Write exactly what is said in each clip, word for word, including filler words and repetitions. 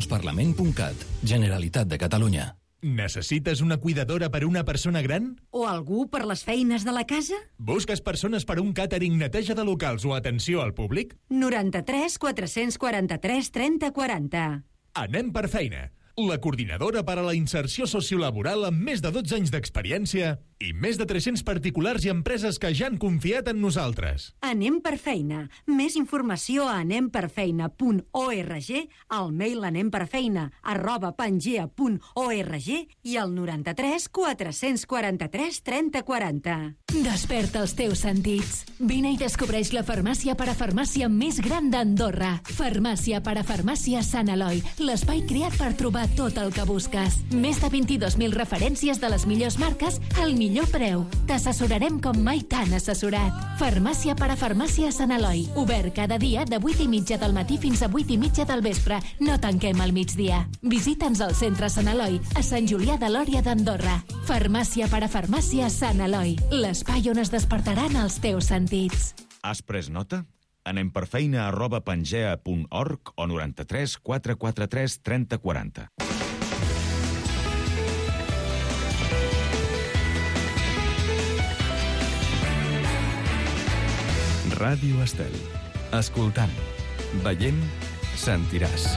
parlament punt cat, Generalitat de Catalunya. Necessites una cuidadora per a una persona gran? O algú per les feines de la casa? Busques persones per a un càtering, neteja de locals o atenció al públic? noranta-tres quatre-cents quaranta-tres trenta quaranta. Anem per feina. La coordinadora per a la inserció sociolaboral amb més de dotze anys d'experiència i més de tres-cents particulars i empreses que ja han confiat en nosaltres. Anem per feina. Més informació a anem per feina punt org, al mail anemperfeina arroba pangea punt org i al noranta-tres quatre-cents quaranta-tres trenta quaranta. Desperta els teus sentits. Vine i descobreix la farmàcia parafarmàcia més gran d'Andorra. Farmàcia parafarmàcia Sant Eloi, l'espai creat per trobar tot el que busques. Més de vint-i-dos mil referències de les millors marques al millor preu. T'assessorarem com mai t'han assessorat. Farmàcia parafarmàcia Sant Eloi. Obert cada dia de vuit i mitja del matí fins a vuit i mitja del vespre. No tanquem al migdia. Visita'ns al centre Sant Eloi, a Sant Julià de Lòria d'Andorra. Farmàcia parafarmàcia Sant Eloi. L'espai on es despertaran els teus sentits. Has pres nota? Anem per feina arroba pangea punt org o noranta-tres quatre quaranta-tres trenta quaranta. Ràdio Estel. Escoltant, veient, sentiràs.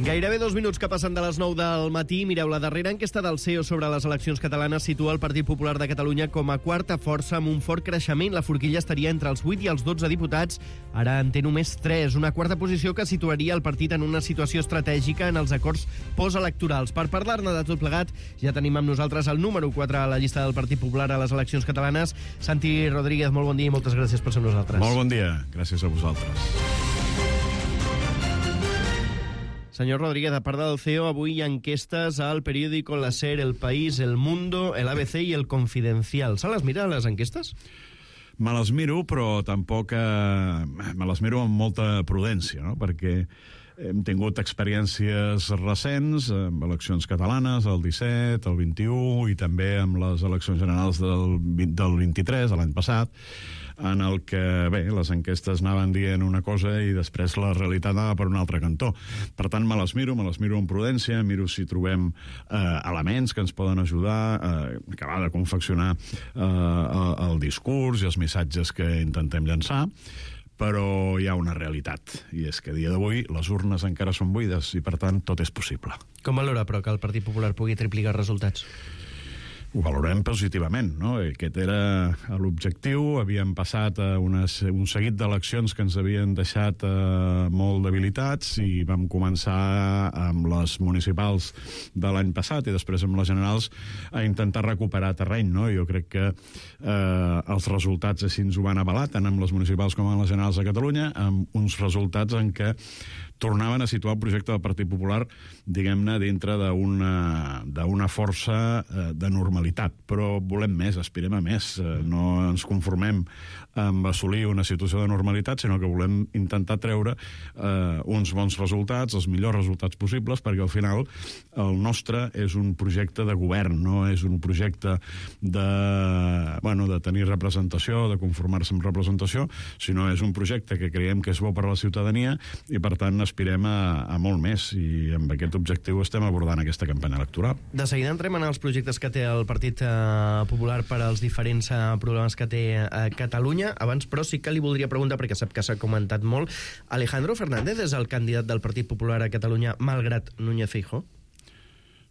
Gairebé dos minuts que passen de les nou del matí. Mireu, la darrera enquesta del C E O sobre les eleccions catalanes situa el Partit Popular de Catalunya com a quarta força amb un fort creixement. La forquilla estaria entre els vuit i els dotze diputats. Ara en té només tres. Una quarta posició que situaria el partit en una situació estratègica en els acords postelectorals. Per parlar-ne de tot plegat, ja tenim amb nosaltres el número quatre a la llista del Partit Popular a les eleccions catalanes. Santi Rodríguez, molt bon dia i moltes gràcies per ser amb nosaltres. Molt bon dia, gràcies a vosaltres. Senyor Rodríguez, a part del C E O, avui hi ha enquestes al periòdico, la SER, El País, El Mundo, el A B C i El Confidencial. Se les mira, les enquestes? Me les miro, però tampoc... Eh, me les miro amb molta prudència, no? Perquè hem tingut experiències recents amb eleccions catalanes, el disset, el vint-i-u, i també amb les eleccions generals del, del vint-i-tres, l'any passat, en el que, bé, les enquestes anaven dient una cosa i després la realitat anava per un altre cantó. Per tant, me les miro, me les miro amb prudència, miro si trobem eh, elements que ens poden ajudar a eh, acabar de confeccionar eh, el discurs i els missatges que intentem llançar, però hi ha una realitat, i és que a dia d'avui les urnes encara són buides i, per tant, tot és possible. Com valora, però, que el Partit Popular pugui triplicar resultats? Ho valorem positivament, no? Aquest era l'objectiu. Havíem passat a unes, un seguit d'eleccions que ens havien deixat eh, molt debilitats i vam començar amb les municipals de l'any passat i després amb les generals a intentar recuperar terreny, no? Jo crec que eh, els resultats així ens ho van avalar, tant amb les municipals com amb les generals de Catalunya, amb uns resultats en què tornaven a situar el projecte del Partit Popular, diguem-ne, dintre d'una d'una força eh, de normalitat. Però volem més, aspirem a més. Eh, no ens conformem amb assolir una situació de normalitat, sinó que volem intentar treure eh, uns bons resultats, els millors resultats possibles, perquè al final el nostre és un projecte de govern, no és un projecte de, bueno, de tenir representació, de conformar-se amb representació, sinó és un projecte que creiem que és bo per a la ciutadania i, per tant, aspirem a, a molt més, i amb aquest objectiu estem abordant aquesta campanya electoral. De seguida entrem en els projectes que té el Partit eh, Popular per als diferents eh, problemes que té a eh, Catalunya. Abans, però, sí que li voldria preguntar, perquè sap que s'ha comentat molt, Alejandro Fernández és el candidat del Partit Popular a Catalunya malgrat Núñez Feijóo?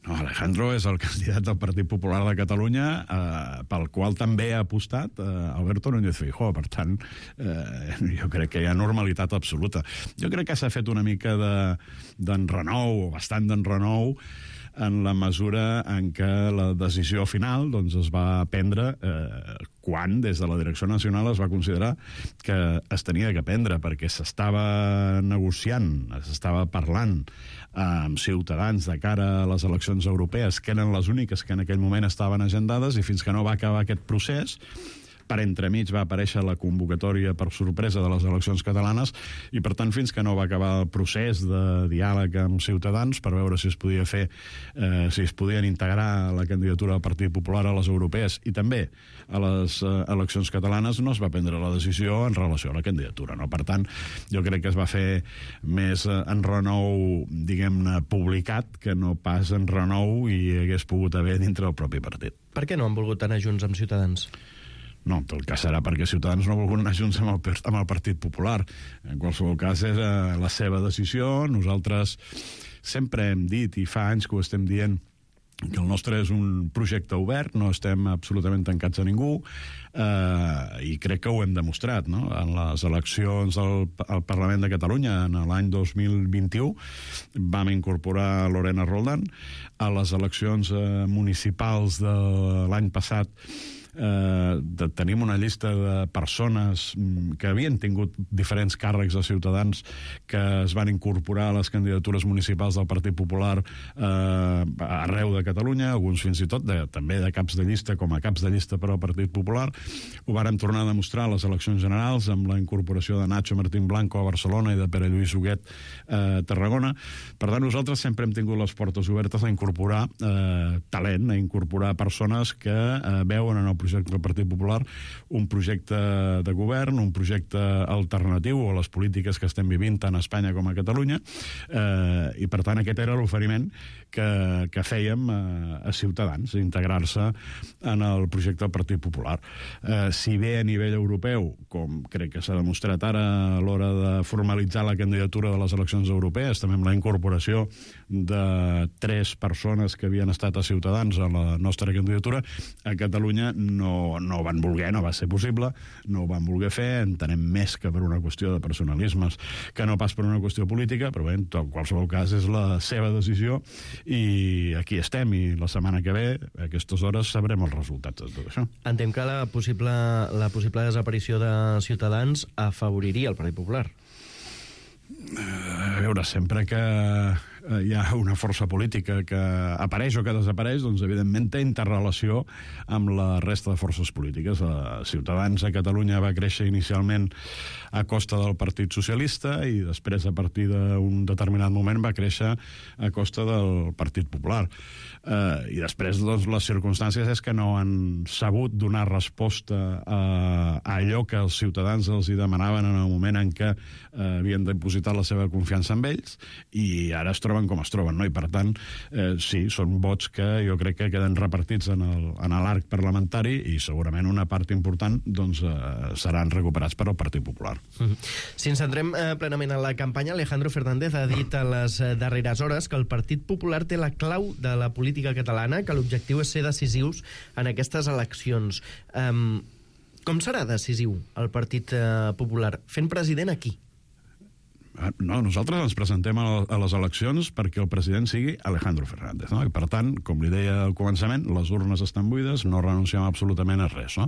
No, Alejandro és el candidat del Partit Popular de Catalunya, eh, pel qual també ha apostat eh, Alberto Núñez Feijóo. Per tant, eh, jo crec que hi ha normalitat absoluta. Jo crec que s'ha fet una mica d'enrenou, o bastant d'enrenou, en la mesura en què la decisió final doncs, es va prendre eh, quan des de la Direcció Nacional es va considerar que es tenia que prendre, perquè s'estava negociant, s'estava parlant amb Ciutadans de cara a les eleccions europees, que eren les úniques que en aquell moment estaven agendades, i fins que no va acabar aquest procés per entremig va aparèixer la convocatòria per sorpresa de les eleccions catalanes i, per tant, fins que no va acabar el procés de diàleg amb Ciutadans per veure si es podia fer, eh, si es podien integrar la candidatura del Partit Popular a les europees i també a les eh, eleccions catalanes, no es va prendre la decisió en relació a la candidatura. No? Per tant, jo crec que es va fer més eh, en renou, diguem-ne, publicat, que no pas en renou i hagués pogut haver dintre del propi partit. Per què no han volgut anar junts amb Ciutadans? No, en tot cas serà perquè Ciutadans no ha volgut anar junts amb el, amb el Partit Popular. En qualsevol cas és eh, la seva decisió. Nosaltres sempre hem dit, i fa anys que ho estem dient, que el nostre és un projecte obert, no estem absolutament tancats a ningú, eh, i crec que ho hem demostrat, no? En les eleccions al, al Parlament de Catalunya, en l'any dos mil vint-i-u, vam incorporar Lorena Roldán. A les eleccions eh, municipals de l'any passat, Eh, de, tenim una llista de persones que havien tingut diferents càrrecs de Ciutadans que es van incorporar a les candidatures municipals del Partit Popular eh, arreu de Catalunya, alguns fins i tot de, també de caps de llista, com a caps de llista per al Partit Popular. Ho vàrem tornar a demostrar a les eleccions generals amb la incorporació de Nacho Martín Blanco a Barcelona i de Pere Lluís Huguet a Tarragona. Per tant, nosaltres sempre hem tingut les portes obertes a incorporar eh, talent, a incorporar persones que eh, veuen en el projecte del Partit Popular un projecte de govern, un projecte alternatiu a les polítiques que estem vivint tant a Espanya com a Catalunya, eh, i per tant aquest era l'oferiment que, que fèiem a, a Ciutadans, integrar-se en el projecte del Partit Popular. Eh, si bé a nivell europeu, com crec que s'ha demostrat ara a l'hora de formalitzar la candidatura de les eleccions europees, també amb la incorporació de tres persones que havien estat a Ciutadans a la nostra candidatura, a Catalunya no, no van voler, no va ser possible, no ho van voler fer, entenem més que per una qüestió de personalismes que no pas per una qüestió política, però bé, en qualsevol cas és la seva decisió i aquí estem, i la setmana que ve, a aquestes hores, sabrem els resultats de tot això. Entenc que la possible, la possible desaparició de Ciutadans afavoriria el Partit Popular. A veure, sempre que hi ha una força política que apareix o que desapareix, doncs evidentment té interrelació amb la resta de forces polítiques. Ciutadans a Catalunya va créixer inicialment a costa del Partit Socialista i després, a partir d'un determinat moment, va créixer a costa del Partit Popular. Eh, I després, doncs, les circumstàncies és que no han sabut donar resposta a, a allò que els ciutadans els hi demanaven en el moment en què eh, havien depositat la seva confiança en ells, i ara es troben com es troben, no? I per tant, eh, sí, són vots que jo crec que queden repartits en el, en l'arc parlamentari i segurament una part important doncs, eh, seran recuperats per al Partit Popular. Mm-hmm. Si ens centrem eh, plenament en la campanya, Alejandro Fernández ha dit a les eh, darreres hores que el Partit Popular té la clau de la política catalana, que l'objectiu és ser decisius en aquestes eleccions. Um, com serà decisiu el Partit eh, Popular? Fent president aquí? No, nosaltres ens presentem a les eleccions perquè el president sigui Alejandro Fernández, no? I per tant, com li deia al començament, les urnes estan buides, no renunciem absolutament a res, no?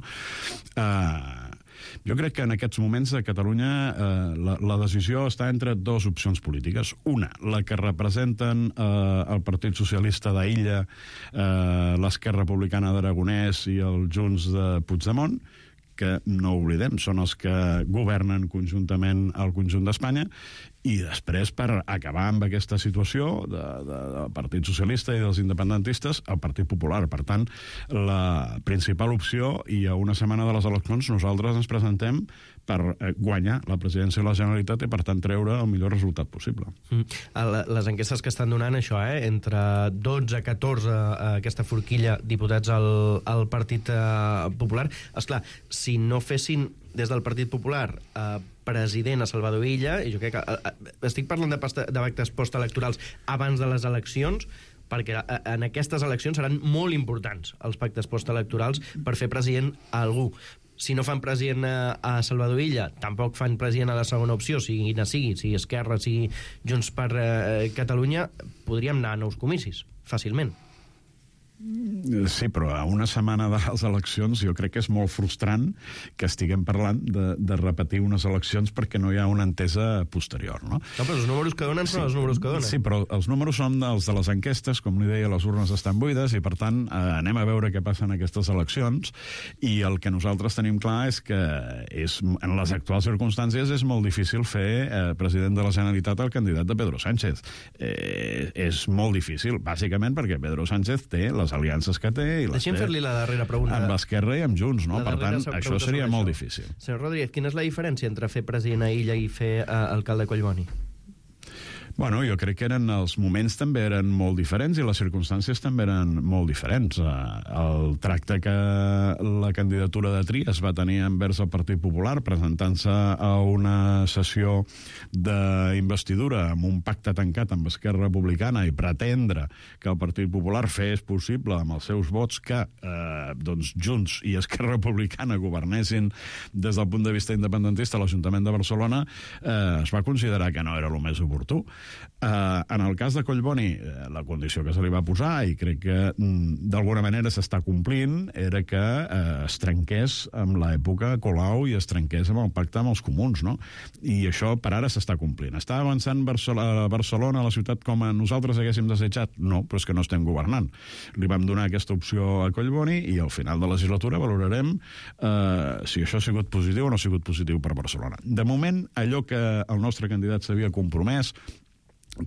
Uh, jo crec que en aquests moments a Catalunya uh, la, la decisió està entre dues opcions polítiques. Una, la que representen uh, el Partit Socialista d'Illa, uh, l'Esquerra Republicana d'Aragonès i el Junts de Puigdemont, que no oblidem, són els que governen conjuntament al conjunt d'Espanya, i després, per acabar amb aquesta situació de, de, del Partit Socialista i dels independentistes, el Partit Popular. Per tant, la principal opció, i a una setmana de les eleccions nosaltres ens presentem per guanyar la presidència de la Generalitat i, per tant, treure el millor resultat possible. Mm. Les enquestes que estan donant això, eh? entre dotze a catorze, eh, aquesta forquilla, diputats al, al Partit eh, Popular. Esclar, si no fessin des del Partit Popular eh, president a Salvador Illa, i jo crec que eh, estic parlant de, pasta, de pactes postelectorals abans de les eleccions, perquè en aquestes eleccions seran molt importants els pactes postelectorals per fer president a algú. Si no fan president a Salvador Illa, tampoc fan president a la segona opció, sigui quina sigui, sigui Esquerra, sigui Junts per eh, Catalunya, podríem anar a nous comicis, fàcilment. Sí, però a una setmana de les eleccions jo crec que és molt frustrant que estiguem parlant de, de repetir unes eleccions perquè no hi ha una entesa posterior, no? No, però els números que donen són sí, els números que donen. Sí, però els números són els de les enquestes, com li deia, les urnes estan buides i, per tant, eh, anem a veure què passa en aquestes eleccions i el que nosaltres tenim clar és que és, en les actuals circumstàncies és molt difícil fer eh, president de la Generalitat el candidat de Pedro Sánchez. Eh, és molt difícil, bàsicament perquè Pedro Sánchez té les aliances que té i les Deixem té fer-li la darrera pregunta. amb l'Esquerra i amb Junts, no? Per tant, això seria molt difícil. Senyor Rodríguez, quina és la diferència entre fer president a Illa i fer uh, alcalde a Collboni? Bueno, jo crec que eren, els moments també eren molt diferents i les circumstàncies també eren molt diferents. El tracte que la candidatura de Trias va tenir envers el Partit Popular presentant-se a una sessió d'investidura amb un pacte tancat amb Esquerra Republicana i pretendre que el Partit Popular fes possible amb els seus vots que eh, doncs Junts i Esquerra Republicana governessin des del punt de vista independentista a l'Ajuntament de Barcelona, eh, es va considerar que no era el més oportú. Uh, en el cas de Collboni, uh, la condició que se li va posar, i crec que mm, d'alguna manera s'està complint, era que uh, es trenqués amb l'època Colau i es trenqués amb el pacte amb els comuns, no? I això per ara s'està complint. Està avançant Barcelona, Barcelona, la ciutat, com a nosaltres haguéssim desitjat? No, però és que no estem governant. Li vam donar aquesta opció a Collboni i al final de la legislatura valorarem uh, si això ha sigut positiu o no ha sigut positiu per Barcelona. De moment, allò que el nostre candidat s'havia compromès,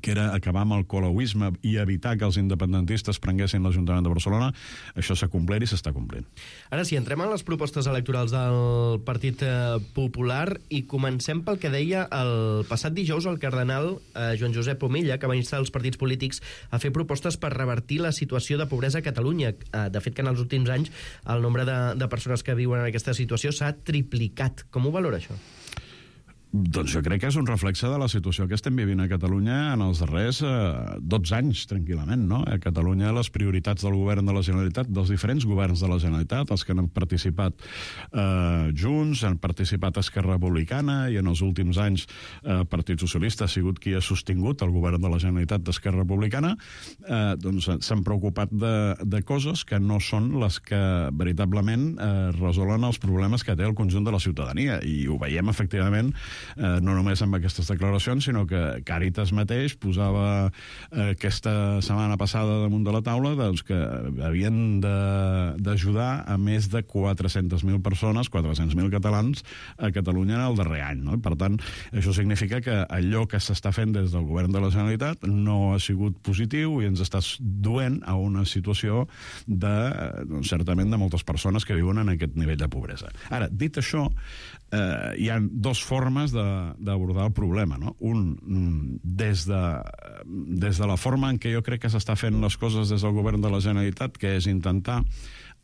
que era acabar amb el colauisme i evitar que els independentistes prenguessin l'Ajuntament de Barcelona, això s'ha complert i s'està complint. Ara sí, entrem en les propostes electorals del Partit Popular i comencem pel que deia el passat dijous el cardenal eh, Joan Josep Omella, que va instar els partits polítics a fer propostes per revertir la situació de pobresa a Catalunya. Eh, de fet, que en els últims anys el nombre de, de persones que viuen en aquesta situació s'ha triplicat. Com ho valora això? Doncs jo crec que és un reflexe de la situació que estem vivint a Catalunya en els darrers eh, dotze anys, tranquil·lament, no? A Catalunya les prioritats del govern de la Generalitat, dels diferents governs de la Generalitat, els que han participat eh, Junts, han participat Esquerra Republicana i en els últims anys el eh, Partit Socialista ha sigut qui ha sostingut el govern de la Generalitat d'Esquerra Republicana, eh, doncs s'han preocupat de, de coses que no són les que veritablement eh, resolen els problemes que té el conjunt de la ciutadania, i ho veiem efectivament Eh, no només amb aquestes declaracions, sinó que Càritas mateix posava eh, aquesta setmana passada damunt de la taula doncs, que havien d'ajudar a més de quatre-centes mil persones, quatre-cents mil catalans a Catalunya en el darrer any, no? Per tant, això significa que allò que s'està fent des del govern de la Generalitat no ha sigut positiu i ens està duent a una situació de, doncs, certament de moltes persones que viuen en aquest nivell de pobresa. Ara, dit això, eh, hi ha dos formes d'abordar el problema, no? Un, des de, des de la forma en què jo crec que s'està fent les coses des del govern de la Generalitat, que és intentar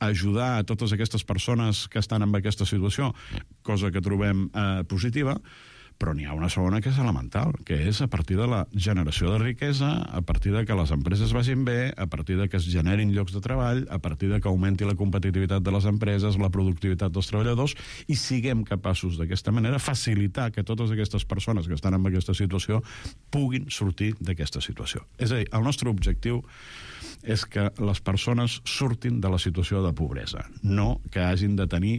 ajudar a totes aquestes persones que estan en aquesta situació, cosa que trobem eh, positiva, però n'hi ha una segona que és elemental, que és a partir de la generació de riquesa, a partir de que les empreses vagin bé, a partir de que es generin llocs de treball, a partir de que augmenti la competitivitat de les empreses, la productivitat dels treballadors, i siguem capaços d'aquesta manera facilitar que totes aquestes persones que estan en aquesta situació puguin sortir d'aquesta situació. És a dir, el nostre objectiu és que les persones surtin de la situació de pobresa, no que hagin de tenir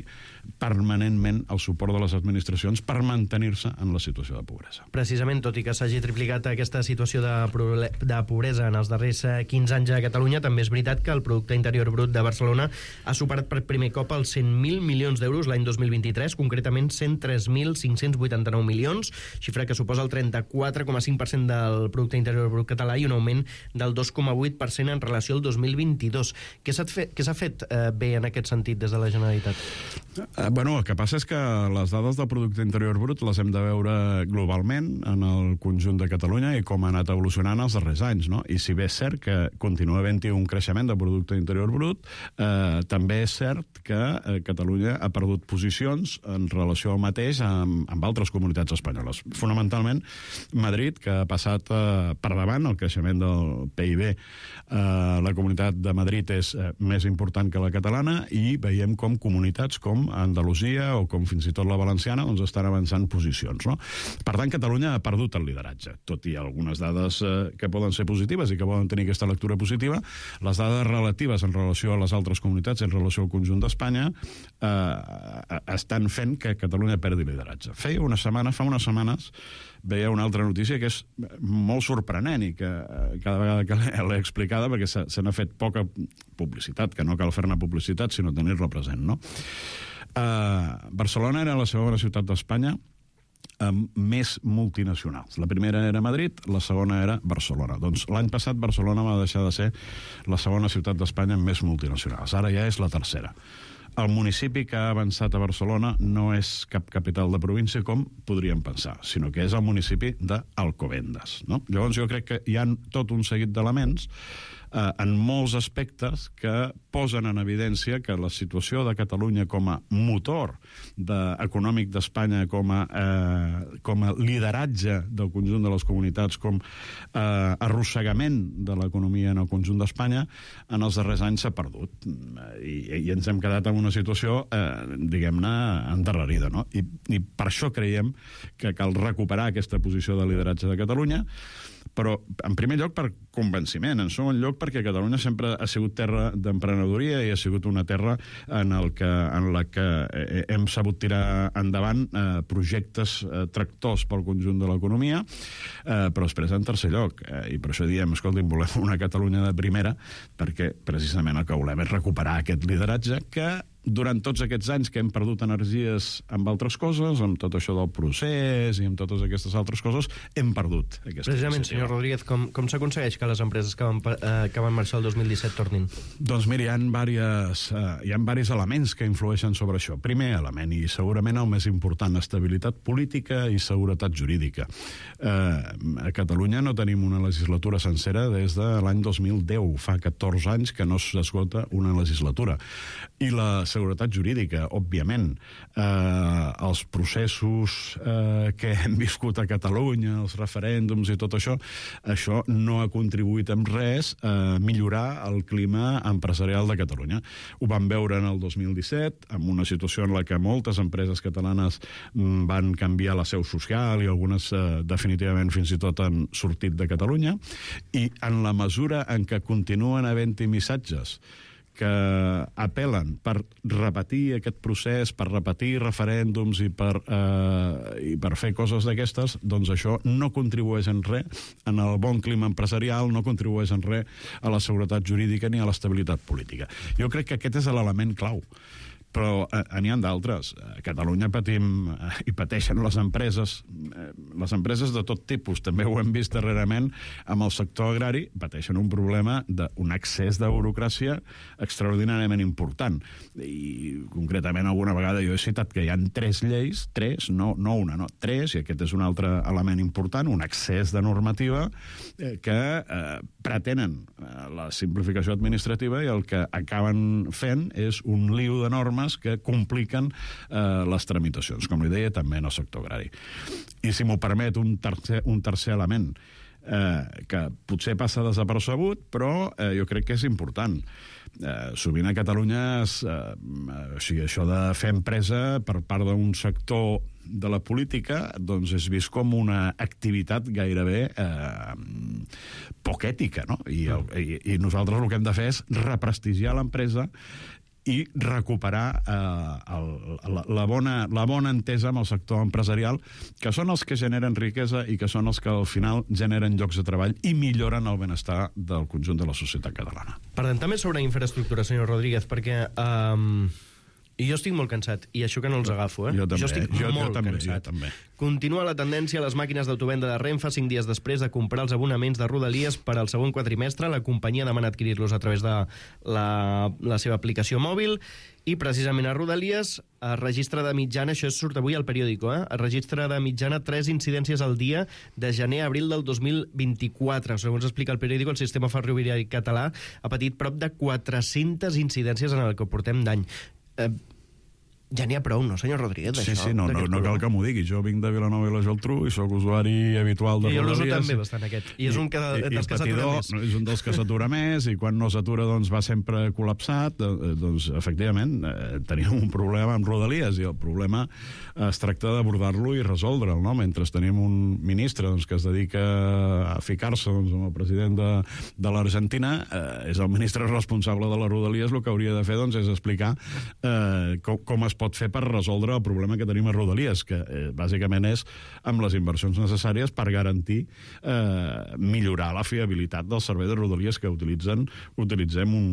permanentment el suport de les administracions per mantenir-se en la situació de pobresa. Precisament, tot i que s'hagi triplicat aquesta situació de, de pobresa en els darrers quinze anys a Catalunya, també és veritat que el Producte Interior Brut de Barcelona ha superat per primer cop els cent mil milions d'euros l'any dos mil vint-i-tres, concretament cent tres mil cinc-cents vuitanta-nou milions, xifra que suposa el trenta-quatre coma cinc per cent del Producte Interior Brut català i un augment del dos coma vuit per cent en relació al dos mil vint-i-dos. Què s'ha fet, què s'ha fet eh, bé en aquest sentit des de la Generalitat? Eh, bueno, el que passa és que les dades del Producte Interior Brut les hem de veure globalment en el conjunt de Catalunya i com ha anat evolucionant els darrers anys, no? I si bé és cert que continua havent-hi un creixement del Producte Interior Brut, eh, també és cert que eh, Catalunya ha perdut posicions en relació al mateix amb, amb altres comunitats espanyoles. Fonamentalment, Madrid, que ha passat eh, per davant el creixement del P I B eh, la Comunitat de Madrid és eh, més important que la catalana i veiem com comunitats com Andalusia o com fins i tot la valenciana doncs estan avançant posicions, no? Per tant, Catalunya ha perdut el lideratge, tot i algunes dades eh, que poden ser positives i que poden tenir aquesta lectura positiva. Les dades relatives en relació a les altres comunitats, en relació al conjunt d'Espanya, eh, estan fent que Catalunya perdi lideratge. Feia una setmana, fa unes setmanes, veia una altra notícia que és molt sorprenent i que cada vegada que l'he explicada, perquè se, se n'ha fet poca publicitat, que no cal fer-ne publicitat, sinó tenir-la present, no? Uh, Barcelona era la segona ciutat d'Espanya amb més multinacionals. La primera era Madrid, la segona era Barcelona. Doncs l'any passat Barcelona va deixar de ser la segona ciutat d'Espanya amb més multinacionals. Ara ja és la tercera. El municipi que ha avançat a Barcelona no és cap capital de província com podríem pensar, sinó que és el municipi d'Alcobendas, no? Llavors jo crec que hi ha tot un seguit d'elements eh, en molts aspectes que posen en evidència que la situació de Catalunya com a motor de, econòmic d'Espanya, com a, eh, com a lideratge del conjunt de les comunitats, com eh, arrossegament de l'economia en el conjunt d'Espanya, en els darrers anys s'ha perdut. I, i ens hem quedat en una situació, eh, diguem-ne, endarrerida, no? I, I per això creiem que cal recuperar aquesta posició de lideratge de Catalunya, però, en primer lloc, per convenciment. En segon lloc, perquè Catalunya sempre ha sigut terra d'emprenedoria i ha sigut una terra en, el que, en la que hem sabut tirar endavant eh, projectes eh, tractors pel conjunt de l'economia, eh, però després, en tercer lloc, eh, i per això diem, escolti, volem una Catalunya de primera, perquè precisament el que volem és recuperar aquest lideratge que durant tots aquests anys que hem perdut energies amb altres coses, amb tot això del procés i amb totes aquestes altres coses, hem perdut aquesta Precisament, iniciativa. senyor Rodríguez, com, com s'aconsegueix que les empreses que van, eh, que van marxar el dos mil disset tornin? Doncs mira, hi ha, diverses, eh, hi ha diversos elements que influeixen sobre això. Primer element, i segurament el més important, estabilitat política i seguretat jurídica. Eh, a Catalunya no tenim una legislatura sencera des de l'any dos mil deu, fa catorze anys que no s'esgota una legislatura. I la seguretat jurídica, òbviament. Eh, els processos eh, que hem viscut a Catalunya, els referèndums i tot això, això no ha contribuït en res a millorar el clima empresarial de Catalunya. Ho vam veure en el dos mil disset, amb una situació en la que moltes empreses catalanes van canviar la seu social i algunes eh, definitivament fins i tot han sortit de Catalunya, i en la mesura en què continuen havent-hi missatges que apel·len per repetir aquest procés, per repetir referèndums i per, eh, i per fer coses d'aquestes, doncs això no contribueix en res en el bon clima empresarial, no contribueix en res a la seguretat jurídica ni a l'estabilitat política. Jo crec que aquest és l'element clau. Però eh, n'hi ha d'altres. A Catalunya patim eh, i pateixen les empreses, eh, les empreses de tot tipus. També ho hem vist darrerament amb el sector agrari, pateixen un problema d'un excés de burocràcia extraordinàriament important. I concretament alguna vegada jo he citat que hi ha tres lleis, tres, no, no una, no, tres, i aquest és un altre element important, un excés de normativa eh, que eh, pretenen eh, la simplificació administrativa i el que acaben fent és un liu de normes que compliquen eh, les tramitacions, com li deia, també en el sector agrari. I si m'ho permet, un tercer, un tercer element eh, que potser passa desapercebut, però eh, jo crec que és important. Eh, sovint a Catalunya es, eh, o sigui, això de fer empresa per part d'un sector de la política doncs és vist com una activitat gairebé eh, poc ètica, no? I, el, i, i nosaltres el que hem de fer és represtigiar l'empresa i recuperar eh, el, la, la, bona, la bona entesa amb el sector empresarial, que són els que generen riquesa i que són els que al final generen llocs de treball i milloren el benestar del conjunt de la societat catalana. Parlem també sobre infraestructura, senyor Rodríguez, perquè um, jo estic molt cansat, i això que no els agafo, eh? Jo també, jo estic jo, molt jo també, cansat. Jo també. Continua la tendència a les màquines d'autovenda de Renfe cinc dies després de comprar els abonaments de Rodalies per al segon quadrimestre. La companyia demana adquirir-los a través de la, la seva aplicació mòbil i precisament a Rodalies es registra de mitjana, això surt avui al periòdico, eh? es registra de mitjana tres incidències al dia de gener a abril del dos mil vint-i-quatre. Segons explica el periòdico, el sistema ferroviari català ha patit prop de quatre-centes incidències en el que portem d'any. Eh, Ja n'hi ha prou, no, senyor Rodríguez, Sí, d'això? sí, no, no, no cal que m'ho digui. Jo vinc de Vilanova i la Geltrú i sóc usuari habitual de I jo l'uso Rodalies. també bastant, aquest. I és un que, I, i dels que s'atura patidor, més. no, és un dels que s'atura més, i quan no s'atura doncs va sempre col·lapsat. Eh, doncs, efectivament, eh, tenim un problema amb Rodalies, i el problema es tracta d'abordar-lo i resoldre'l, no? Mentre tenim un ministre doncs, que es dedica a ficar-se doncs, amb el president de, de l'Argentina, eh, és el ministre responsable de les Rodalies, el que hauria de fer doncs, és explicar eh, com, com es pot fer per resoldre el problema que tenim a Rodalies, que eh, bàsicament és amb les inversions necessàries per garantir eh, millorar la fiabilitat del servei de Rodalies que utilitzen utilitzem un,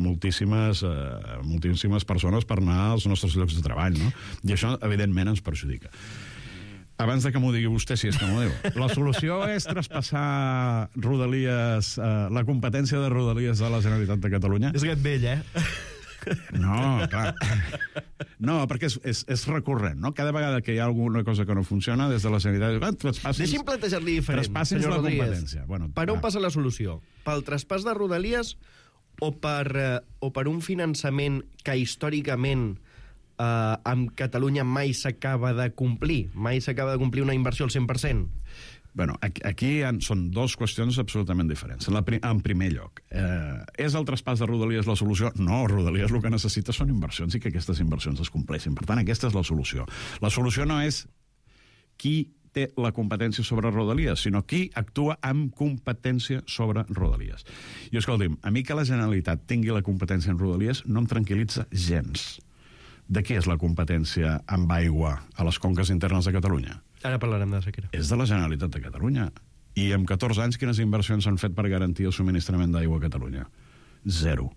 moltíssimes, eh, moltíssimes persones per anar als nostres llocs de treball, no? I això, evidentment, ens perjudica. Abans de que m'ho digui vostè, si és que m'ho diu, la solució és traspassar Rodalies, eh, la competència de Rodalies de la Generalitat de Catalunya? És aquest vell, eh? No, clar. No, perquè és, és, és recurrent, no? Cada vegada que hi ha alguna cosa que no funciona, des de la Generalitat... Deixi'm plantejar-li diferent, Traspassi'ns senyor la Rodríguez. competència. Bueno, per on va. passa la solució? Pel traspàs de Rodalies o per, eh, o per un finançament que històricament eh, amb Catalunya mai s'acaba de complir? Mai s'acaba de complir una inversió al cent per cent? Bueno, aquí, aquí han, són dues qüestions absolutament diferents. En, la, en primer lloc, eh, és el traspàs de Rodalies la solució? No, Rodalies el que necessita són inversions i que aquestes inversions es compleixin. Per tant, aquesta és la solució. La solució no és qui té la competència sobre Rodalies, sinó qui actua amb competència sobre Rodalies. I escolti'm, a mi que la Generalitat tingui la competència en Rodalies no em tranquil·litza gens. De què és la competència amb aigua a les conques internes de Catalunya? Ara parlarem de sequera. És de la Generalitat de Catalunya. I en catorze anys, quines inversions s'han fet per garantir el subministrament d'aigua a Catalunya? Zero.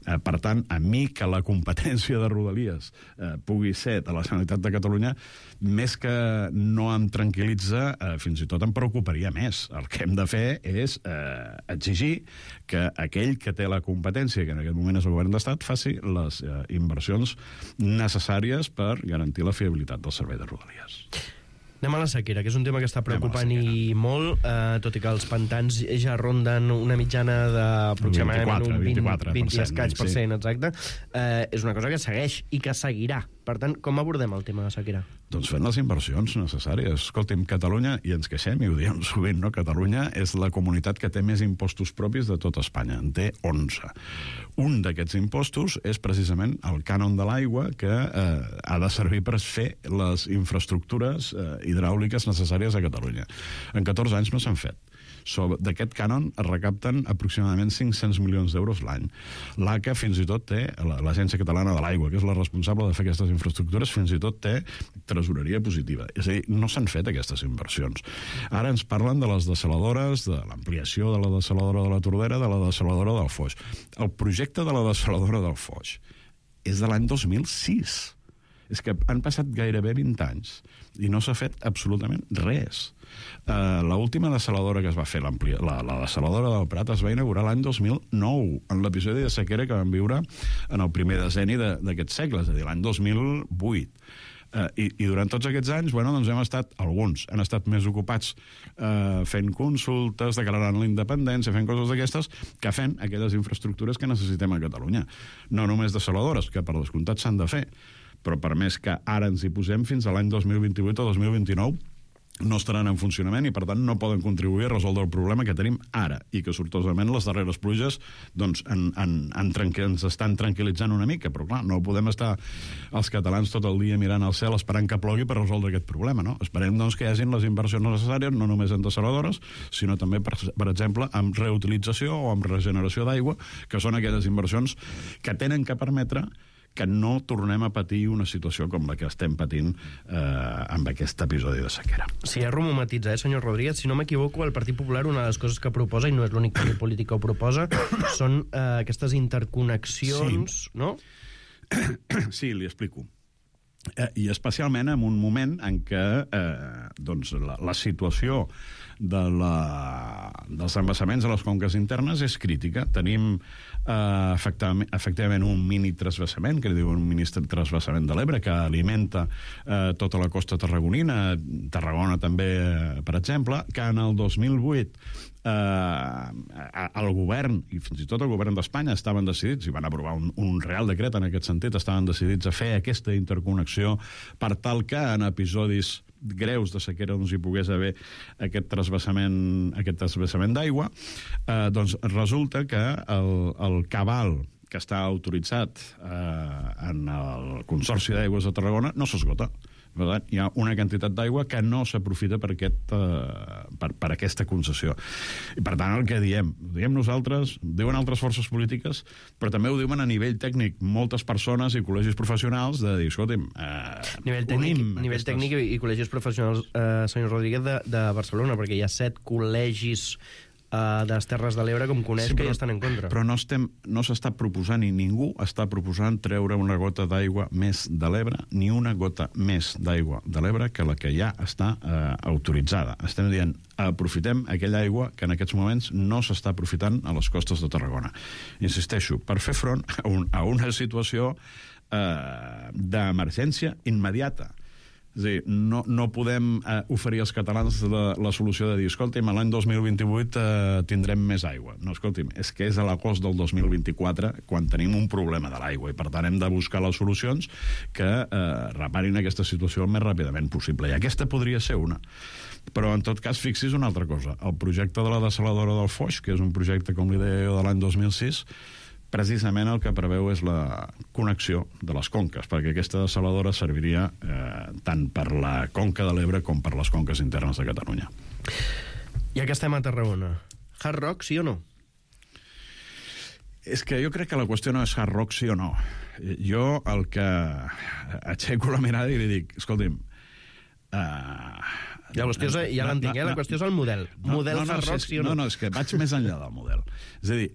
Eh, per tant, a mi que la competència de Rodalies eh, pugui ser de la Generalitat de Catalunya, més que no em tranquil·litza, eh, fins i tot em preocuparia més. El que hem de fer és eh, exigir que aquell que té la competència, que en aquest moment és el govern d'Estat, faci les eh, inversions necessàries per garantir la fiabilitat del servei de Rodalies. Anem a la sequera, que és un tema que està preocupant i molt, eh, tot i que els pantans ja ronden una mitjana d'aproximadament un vint, vint i escaig per cent, exacte. Eh, és una cosa que segueix i que seguirà. Per tant, com abordem el tema de sequera? Doncs fent les inversions necessàries. Escolti'm, Catalunya, i ens queixem, i ho diem sovint, no? Catalunya és la comunitat que té més impostos propis de tot Espanya. En té onze. Un d'aquests impostos és precisament el cànon de l'aigua, que eh, ha de servir per fer les infraestructures eh, hidràuliques necessàries a Catalunya. En catorze anys no s'han fet. D'aquest cànon es recapten aproximadament cinc-cents milions d'euros l'any. L'A C A fins i tot té, l'Agència Catalana de l'Aigua, que és la responsable de fer aquestes infraestructures, fins i tot té tresoreria positiva. És a dir, no s'han fet aquestes inversions. Ara ens parlen de les dessaladores, de l'ampliació de la dessaladora de la Tordera, de la dessaladora del Foix. El projecte de la dessaladora del Foix és de l'any dos mil sis. És que han passat gairebé vint anys i no s'ha fet absolutament res. Uh, l'última dessaladora que es va fer, la, la dessaladora del Prat, es va inaugurar l'any dos mil nou, en l'episodi de sequera que vam viure en el primer decenni d'aquest segle, és a dir, l'any dos mil vuit. Uh, i, I durant tots aquests anys, bueno, doncs hem estat, alguns han estat més ocupats uh, fent consultes, declarant la independència, fent coses d'aquestes, que fent aquelles infraestructures que necessitem a Catalunya. No només dessaladores, que per descomptat s'han de fer, però per més que ara ens hi posem, fins a l'any dos mil vint-i-vuit o dos mil vint-i-nou no estaran en funcionament i, per tant, no poden contribuir a resoldre el problema que tenim ara i que, sortosament, les darreres pluges doncs, en, en, en tranqui- ens estan tranquil·litzant una mica, però, clar, no podem estar els catalans tot el dia mirant al cel esperant que plogui per resoldre aquest problema, no? Esperem, doncs, que hi hagin les inversions necessàries, no només en dessaladores, sinó també, per, per exemple, amb reutilització o amb regeneració d'aigua, que són aquelles inversions que tenen que permetre que no tornem a patir una situació com la que estem patint eh, amb aquest episodi de sequera. Si ja rumo matitza, eh, senyor Rodríguez, si no m'equivoco, el Partit Popular, una de les coses que proposa, i no és l'únic partit polític que ho proposa, són eh, aquestes interconnexions, sí. No? Sí, li explico. Eh, I especialment en un moment en què eh, doncs la, la situació de la, dels embassaments a les conques internes és crítica. Tenim eh, efectivament, efectivament un mini transvasament, que li diuen un mini transvasament de l'Ebre, que alimenta eh, tota la costa tarragonina, Tarragona també, eh, per exemple, que en el dos mil vuit eh, el govern, i fins i tot el govern d'Espanya, estaven decidits, i van aprovar un, un real decret en aquest sentit, estaven decidits a fer aquesta interconnexió per tal que en episodis greus de sequera doncs hi pogués haver aquest transvasament, aquest transvasament d'aigua, eh, doncs resulta que el, el cabal que està autoritzat eh, en el Consorci d'Aigües de Tarragona no s'esgota. Per tant, hi ha una quantitat d'aigua que no s'aprofita per, aquest, eh, per, per aquesta concessió. I per tant, el que diem, ho diem nosaltres, ho diuen altres forces polítiques, però també ho diuen a nivell tècnic moltes persones i col·legis professionals de dir, escolta'm, eh, nivell tècnic, nivell aquestes... tècnic i col·legis professionals, eh, senyor Rodríguez, de, de Barcelona, perquè hi ha set col·legis Uh, de les Terres de l'Ebre, com coneix, sí, però, que ja estan en contra. Però no estem, no s'està proposant, i ningú està proposant treure una gota d'aigua més de l'Ebre, ni una gota més d'aigua de l'Ebre que la que ja està uh, autoritzada. Estem dient, aprofitem aquella aigua que en aquests moments no s'està aprofitant a les costes de Tarragona. Insisteixo, per fer front a, un, a una situació uh, d'emergència immediata. És a dir, no, no podem eh, oferir als catalans la, la solució de dir, escolti'm, l'any dos mil vint-i-vuit eh, tindrem més aigua. No, escolti'm, és que és a l'agost del dos mil vint-i-quatre quan tenim un problema de l'aigua i per tant hem de buscar les solucions que eh, reparin aquesta situació el més ràpidament possible. I aquesta podria ser una. Però en tot cas, fixi's una altra cosa. El projecte de la dessaladora del Foix, que és un projecte, com li deia jo, de l'any dos mil sis, precisament el que preveu és la connexió de les conques, perquè aquesta dessaladora serviria eh, tant per la conca de l'Ebre com per les conques internes de Catalunya. Ja que estem a Tarragona, Hard Rock, sí o no? És que jo crec que la qüestió no és Hard Rock, sí o no. Jo el que aixeco la mirada i li dic, escolti'm, uh, ja, qüestió és, ja l'entenc, no, no, la qüestió és el model. No, model no, no, Hard Rock, és, sí o no? No, no, és que vaig més enllà del model. És a dir,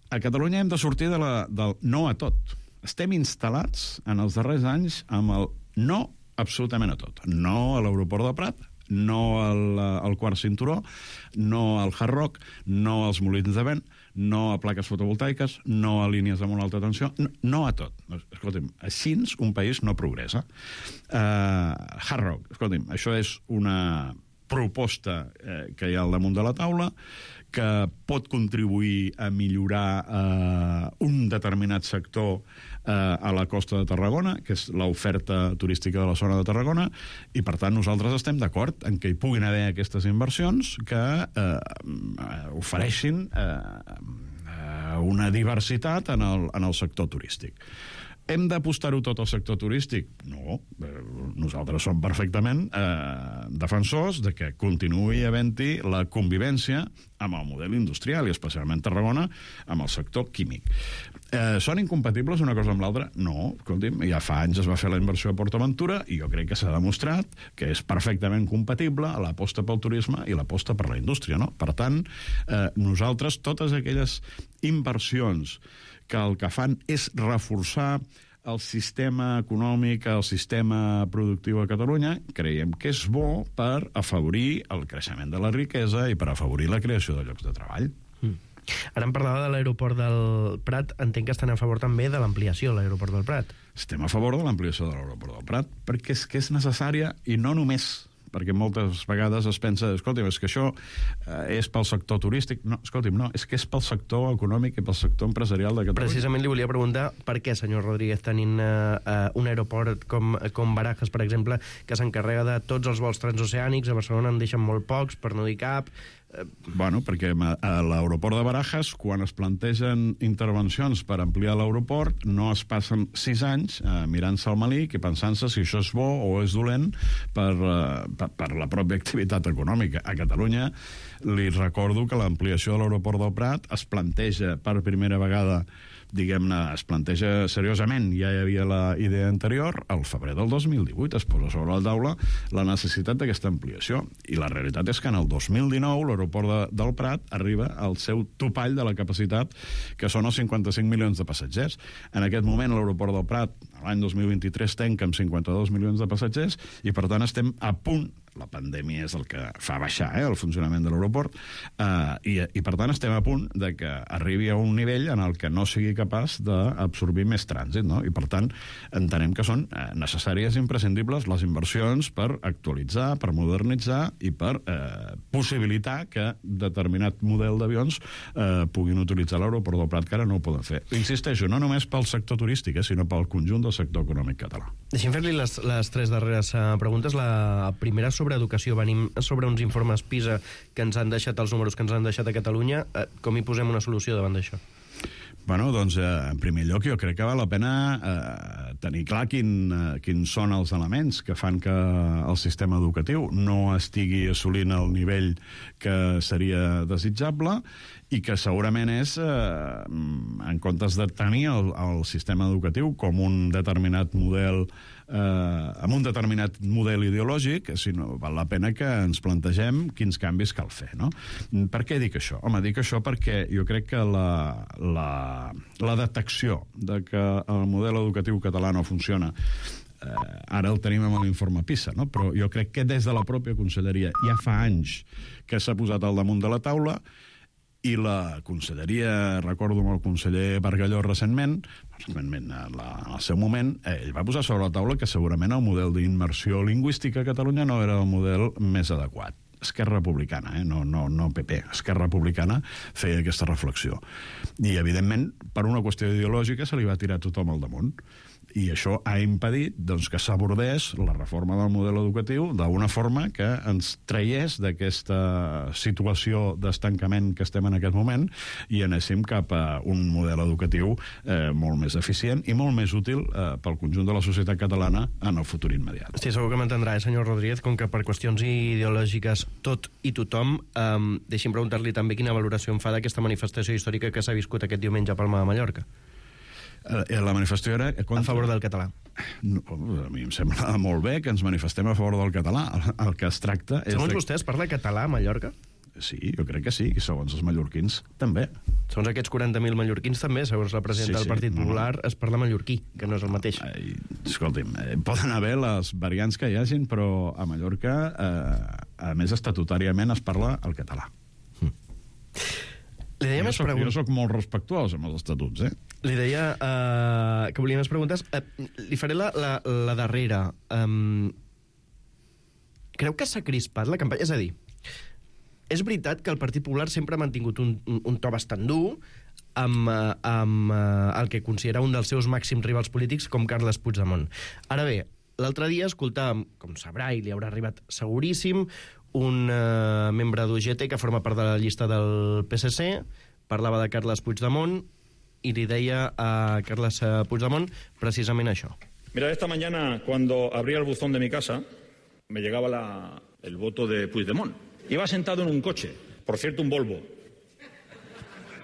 a Catalunya hem de sortir de la, del no a tot. Estem instal·lats en els darrers anys amb el no absolutament a tot. No a l'aeroport de Prat, no al, al quart cinturó, no al Hard Rock, no als molins de vent, no a plaques fotovoltaiques, no a línies de molt alta tensió, no, no a tot. Escolti'm, així un país no progressa. Uh, Hard Rock, escolti'm, això és una proposta eh, que hi ha al damunt de la taula, que pot contribuir a millorar eh, un determinat sector eh, a la costa de Tarragona, que és l'oferta turística de la zona de Tarragona, i per tant nosaltres estem d'acord en que hi puguin haver aquestes inversions que eh, ofereixin eh, una diversitat en el, en el sector turístic. Hem d'apostar-ho tot al sector turístic? No. Nosaltres som perfectament eh, defensors de que continuï havent-hi la convivència amb el model industrial, i especialment Tarragona, amb el sector químic. Eh, són incompatibles una cosa amb l'altra? No. Escolti'm, ja fa anys es va fer la inversió a PortAventura i jo crec que s'ha demostrat que és perfectament compatible l'aposta pel turisme i l'aposta per la indústria, no? Per tant, eh, nosaltres, totes aquelles inversions que el que fan és reforçar el sistema econòmic, el sistema productiu a Catalunya, creiem que és bo per afavorir el creixement de la riquesa i per afavorir la creació de llocs de treball. Mm. Ara em parlava de l'aeroport del Prat. Entenc que estan a favor també de l'ampliació de l'aeroport del Prat. Estem a favor de l'ampliació de l'aeroport del Prat perquè és que és necessària, i no només perquè moltes vegades es pensa, escolti'm, és que això eh, és pel sector turístic. No, escolti'm, no, és que és pel sector econòmic i pel sector empresarial de Catalunya. Precisament li volia preguntar per què, senyor Rodríguez, tenint eh, un aeroport com, com Barajas, per exemple, que s'encarrega de tots els vols transoceànics, a Barcelona en deixen molt pocs, per no dir cap. Bueno, perquè a l'aeroport de Barajas, quan es plantegen intervencions per ampliar l'aeroport, no es passen sis anys eh, mirant-se al malic i pensant-se si això és bo o és dolent per, eh, per, per la pròpia activitat econòmica. A Catalunya li recordo que l'ampliació de l'aeroport del Prat es planteja per primera vegada, diguem-ne, es planteja seriosament, ja hi havia la idea anterior, al febrer del dos mil divuit es posa sobre la taula la necessitat d'aquesta ampliació, i la realitat és que en el dos mil dinou l'aeroport de, del Prat arriba al seu topall de la capacitat, que són els cinquanta-cinc milions de passatgers. En aquest moment l'aeroport del Prat, l'any dos mil vint-i-tres tanca amb cinquanta-dos milions de passatgers i, per tant, estem a punt, la pandèmia és el que fa baixar eh, el funcionament de l'aeroport, eh, i, i, per tant, estem a punt de que arribi a un nivell en el que no sigui capaç d'absorbir més trànsit, no? I, per tant, entenem que són eh, necessàries i imprescindibles les inversions per actualitzar, per modernitzar i per eh, possibilitar que determinat model d'avions eh, puguin utilitzar l'aeroport del Prat, que ara no ho poden fer. Insisteixo, no només pel sector turístic, eh, sinó pel conjunt del sector econòmic català. Deixem fer-li les, les tres darreres uh, preguntes. La primera sobre educació. Venim sobre uns informes PISA que ens han deixat, els números que ens han deixat a Catalunya. Uh, com hi posem una solució davant d'això? Bueno, doncs, eh, en primer lloc, jo crec que val la pena eh, tenir clar quin, eh, quins són els elements que fan que el sistema educatiu no estigui assolint el nivell que seria desitjable i que segurament és, eh, en comptes de tenir el, el sistema educatiu com un determinat model eh, amb un determinat model ideològic, sinó val la pena que ens plantegem quins canvis cal fer, no? Per què dic això? Home, dic això perquè jo crec que la, la, la detecció de que el model educatiu català no funciona eh, ara el tenim amb l'informe PISA, no? Però jo crec que des de la pròpia conselleria ja fa anys que s'ha posat al damunt de la taula i la conselleria, recordo amb el conseller Bargalló recentment, recentment en, la, en el seu moment, ell va posar sobre la taula que segurament el model d'immersió lingüística a Catalunya no era el model més adequat. Esquerra Republicana, eh? no, no, no P P, Esquerra Republicana feia aquesta reflexió. I, evidentment, per una qüestió ideològica se li va tirar tothom al damunt. I això ha impedit doncs, que s'abordés la reforma del model educatiu d'una forma que ens traiés d'aquesta situació d'estancament que estem en aquest moment i anéssim cap a un model educatiu eh, molt més eficient i molt més útil eh, pel conjunt de la societat catalana en el futur immediat. Sí, segur que m'entendrà, eh, senyor Rodríguez, com que per qüestions ideològiques tot i tothom, eh, deixi'm preguntar-li també quina valoració en fa d'aquesta manifestació històrica que s'ha viscut aquest diumenge a Palma de Mallorca. Eh, la manifestació era... Contra... A favor del català. No, a mi em sembla molt bé que ens manifestem a favor del català. El, el que es tracta és... Segons de... vostè, es parla català a Mallorca? Sí, jo crec que sí, i segons els mallorquins també. Segons aquests quaranta mil mallorquins també, segons la presidenta sí, sí, del Partit Popular, no, no. es parla mallorquí, que no és el mateix. Ai, escolti'm, eh, poden haver les variants que hi hagin, però a Mallorca, eh, a més, estatutàriament es parla el català. Hm. Li deia jo, més soc, preguntes... jo soc molt respectuós amb els estatuts, eh? Li deia uh, que volia més preguntes. Uh, li faré la, la, la darrera. Um, creu que s'ha crispat la campanya? És a dir, és veritat que el Partit Popular sempre ha mantingut un, un, un to bastant dur amb, uh, amb uh, el que considera un dels seus màxims rivals polítics com Carles Puigdemont. Ara bé, l'altre dia escoltàvem, com sabrà i li haurà arribat seguríssim, un uh, membre d'U G T que forma part de la llista del P S C, parlava de Carles Puigdemont y le decía a Carles Puigdemont precisamente això. Mira, esta mañana cuando abría el buzón de mi casa me llegaba la, el voto de Puigdemont. Iba sentado en un coche, por cierto un Volvo.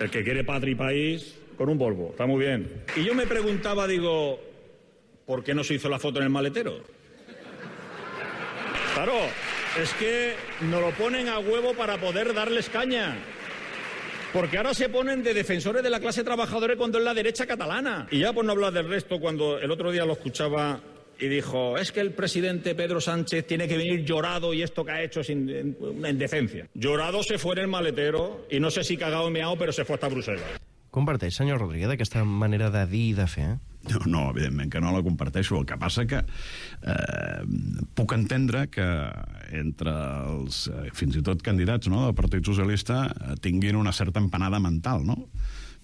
El que quiere patria y país con un Volvo, está muy bien. Y yo me preguntaba, digo, ¿por qué no se hizo la foto en el maletero? Claro, es que nos lo ponen a huevo para poder darles caña. Porque ahora se ponen de defensores de la clase trabajadora cuando es la derecha catalana. Y ya por no hablar del resto, cuando el otro día lo escuchaba y dijo, es que el presidente Pedro Sánchez tiene que venir llorado y esto que ha hecho es una indecencia. Llorado se fue en el maletero y no sé si cagado o meao, pero se fue hasta Bruselas. Comparteix, senyor Rodríguez, aquesta manera de dir i de fer? No, no, evidentment que no la comparteixo. El que passa que eh, puc entendre que entre els, eh, fins i tot candidats, no, del Partit Socialista eh, tinguin una certa empanada mental, no?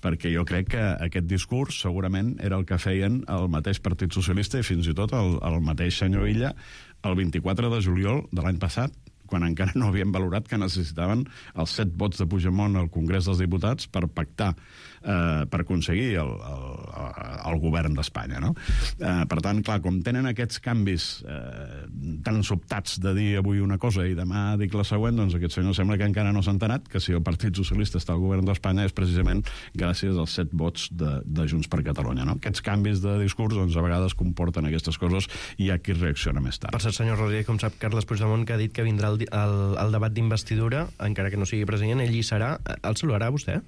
Perquè jo crec que aquest discurs segurament era el que feien el mateix Partit Socialista i fins i tot el, el mateix senyor Illa el vint-i-quatre de juliol de l'any passat, quan encara no havien valorat que necessitaven els set vots de Puigdemont al Congrés dels Diputats per pactar, eh, per aconseguir el, el, el govern d'Espanya, no? Eh, per tant, clar, com tenen aquests canvis eh, tan sobtats de dir avui una cosa i demà dic la següent, doncs aquest senyor sembla que encara no s'ha enterat que si el Partit Socialista està al govern d'Espanya és precisament gràcies als set vots de, de Junts per Catalunya, no? Aquests canvis de discurs, doncs, a vegades comporten aquestes coses i hi ha qui reacciona més tard. Per cert, senyor Rodríguez, com sap Carles Puigdemont, que ha dit que vindrà el El, el debat d'investidura, encara que no sigui president, ell hi serà. El saludarà vostè?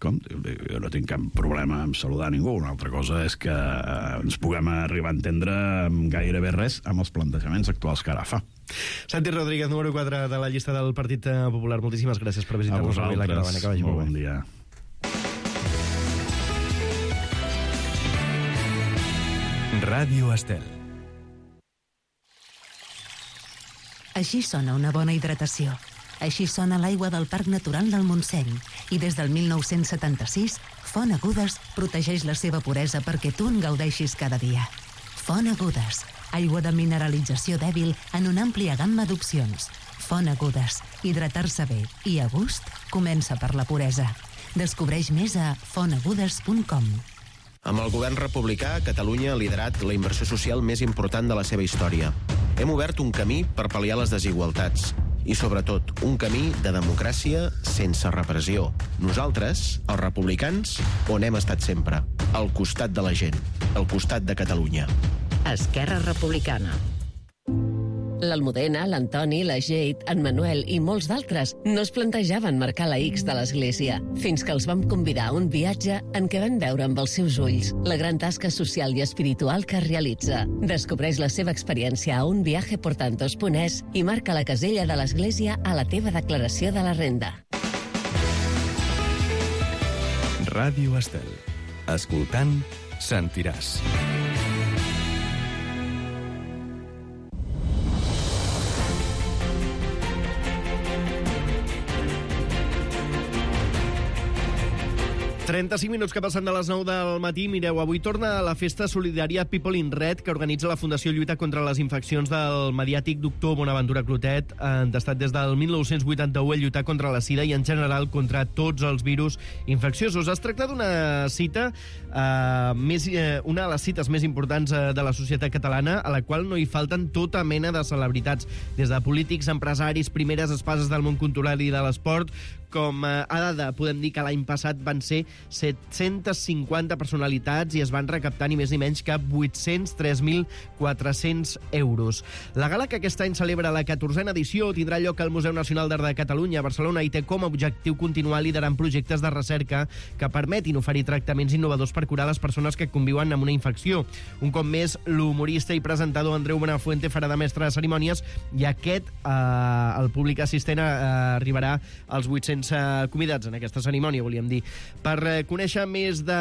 com? Jo no tinc cap problema en saludar ningú. Una altra cosa és que ens puguem arribar a entendre amb gairebé res amb els plantejaments actuals que ara fa. Santi Rodríguez, número quatre de la llista del Partit Popular. Moltíssimes gràcies per visitar-nos avui a la Caravana. Que vagi molt molt bon bé. dia. Ràdio Estel. Així sona una bona hidratació. Així sona l'aigua del Parc Natural del Montseny. I des del mil nou-cents setanta-sis, Font Agudes protegeix la seva puresa perquè tu en gaudeixis cada dia. Font Agudes, aigua de mineralització dèbil en una àmplia gamma d'opcions. Font Agudes, hidratar-se bé i a gust comença per la puresa. Descobreix més a font agudes punt com. Amb el govern republicà, Catalunya ha liderat la inversió social més important de la seva història. Hem obert un camí per pal·liar les desigualtats i, sobretot, un camí de democràcia sense repressió. Nosaltres, els republicans, on hem estat sempre, al costat de la gent, al costat de Catalunya. Esquerra Republicana. L'Almudena, l'Antoni, la Jade, en Manuel i molts d'altres no es plantejaven marcar la X de l'Església, fins que els vam convidar a un viatge en què van veure amb els seus ulls la gran tasca social i espiritual que realitza. Descobreix la seva experiència a un viaje por tantos punt es i marca la casella de l'Església a la teva declaració de la renda. Ràdio Estel. Escoltant, sentiràs. trenta-cinc minuts que passen de les nou del matí. Mireu, avui torna la festa solidària People in Red, que organitza la Fundació Lluita contra les Infeccions del mediàtic doctor Bonaventura Clotet, entestat des del mil nou-cents vuitanta-u a lluitar contra la sida i, en general, contra tots els virus infecciosos. Es tracta d'una cita, eh, més, eh, una de les cites més importants eh, de la societat catalana, a la qual no hi falten tota mena de celebritats, des de polítics, empresaris, primeres espases del món cultural i de l'esport. Com a dada, podem dir que l'any passat van ser set-cents cinquanta personalitats i es van recaptar ni més ni menys que vuit-cents tres mil quatre-cents euros. La gala, que aquest any celebra la catorzena edició, tindrà lloc al Museu Nacional d'Art de Catalunya a Barcelona i té com a objectiu continuar liderant projectes de recerca que permetin oferir tractaments innovadors per curar les persones que conviuen amb una infecció. Un cop més, l'humorista i presentador Andreu Buenafuente farà de mestre de cerimònies i aquest, eh, el públic assistent, eh, arribarà als vuit-cents convidats en aquesta cerimònia, volíem dir. Per eh, conèixer més, de,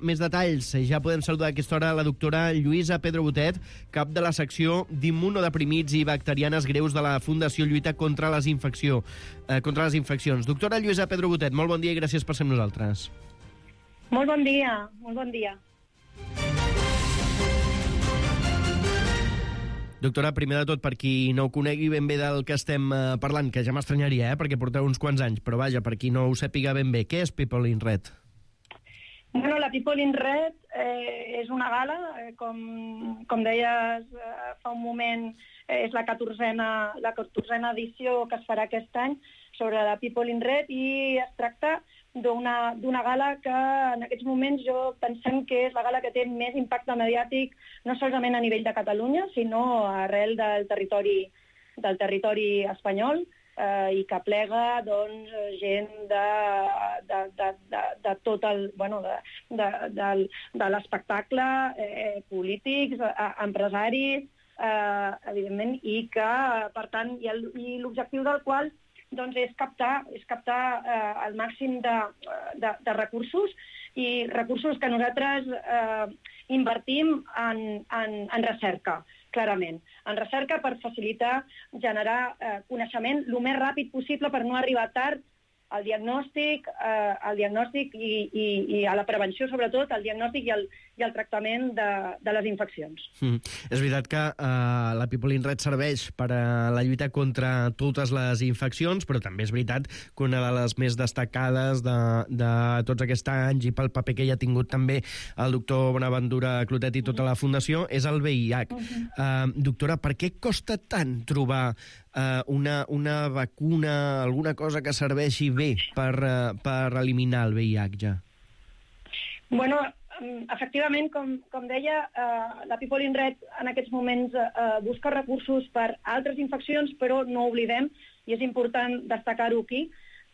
més detalls, ja podem saludar a aquesta hora la doctora Lluïsa Pedro Botet, cap de la secció d'immunodeprimits i bacterianes greus de la Fundació Lluita contra les, infecció, eh, contra les infeccions. Doctora Lluïsa Pedro Botet, molt bon dia i gràcies per ser amb nosaltres. Molt bon dia, molt bon dia. Doctora, primer de tot, per qui no ho conegui ben bé del que estem eh, parlant, que ja m'estranyaria, eh, perquè porteu uns quants anys, però vaja, per qui no ho sàpiga ben bé, què és People in Red? Bueno, la People in Red eh, és una gala, eh, com, com deies eh, fa un moment, eh, és la catorzena, la catorzena edició que es farà aquest any sobre la People in Red, i es tracta d'una d'una gala que en aquests moments jo pensem que és la gala que té més impacte mediàtic, no solament a nivell de Catalunya, sinó arrel del territori, del territori espanyol, eh, i que plega doncs, gent de, de, de, de, de tot el, bueno, de, de, de, de l'espectacle, eh, polítics, eh, empresaris, eh, evidentment, i que, per tant, i, el, i l'objectiu del qual doncs és captar, és captar eh, el màxim de, de, de recursos, i recursos que nosaltres eh, invertim en, en, en recerca, clarament. En recerca per facilitar, generar eh, coneixement el més ràpid possible per no arribar tard al diagnòstic, eh, al diagnòstic i, i, i a la prevenció, sobretot, al diagnòstic i al, i al tractament de, de les infeccions. Mm. És veritat que eh, la People in Red serveix per a la lluita contra totes les infeccions, però també és veritat que una de les més destacades de, de tots aquests anys i pel paper que hi ha tingut també el doctor Bonaventura Clotet i tota la Fundació és el V I H. Uh-huh. eh, doctora, per què costa tant trobar eh, una, una vacuna, alguna cosa que serveixi bé per, uh, per eliminar el V I H ja? Bueno, efectivament, com, com deia, uh, la People in Red en aquests moments uh, busca recursos per altres infeccions, però no oblidem, i és important destacar-ho aquí,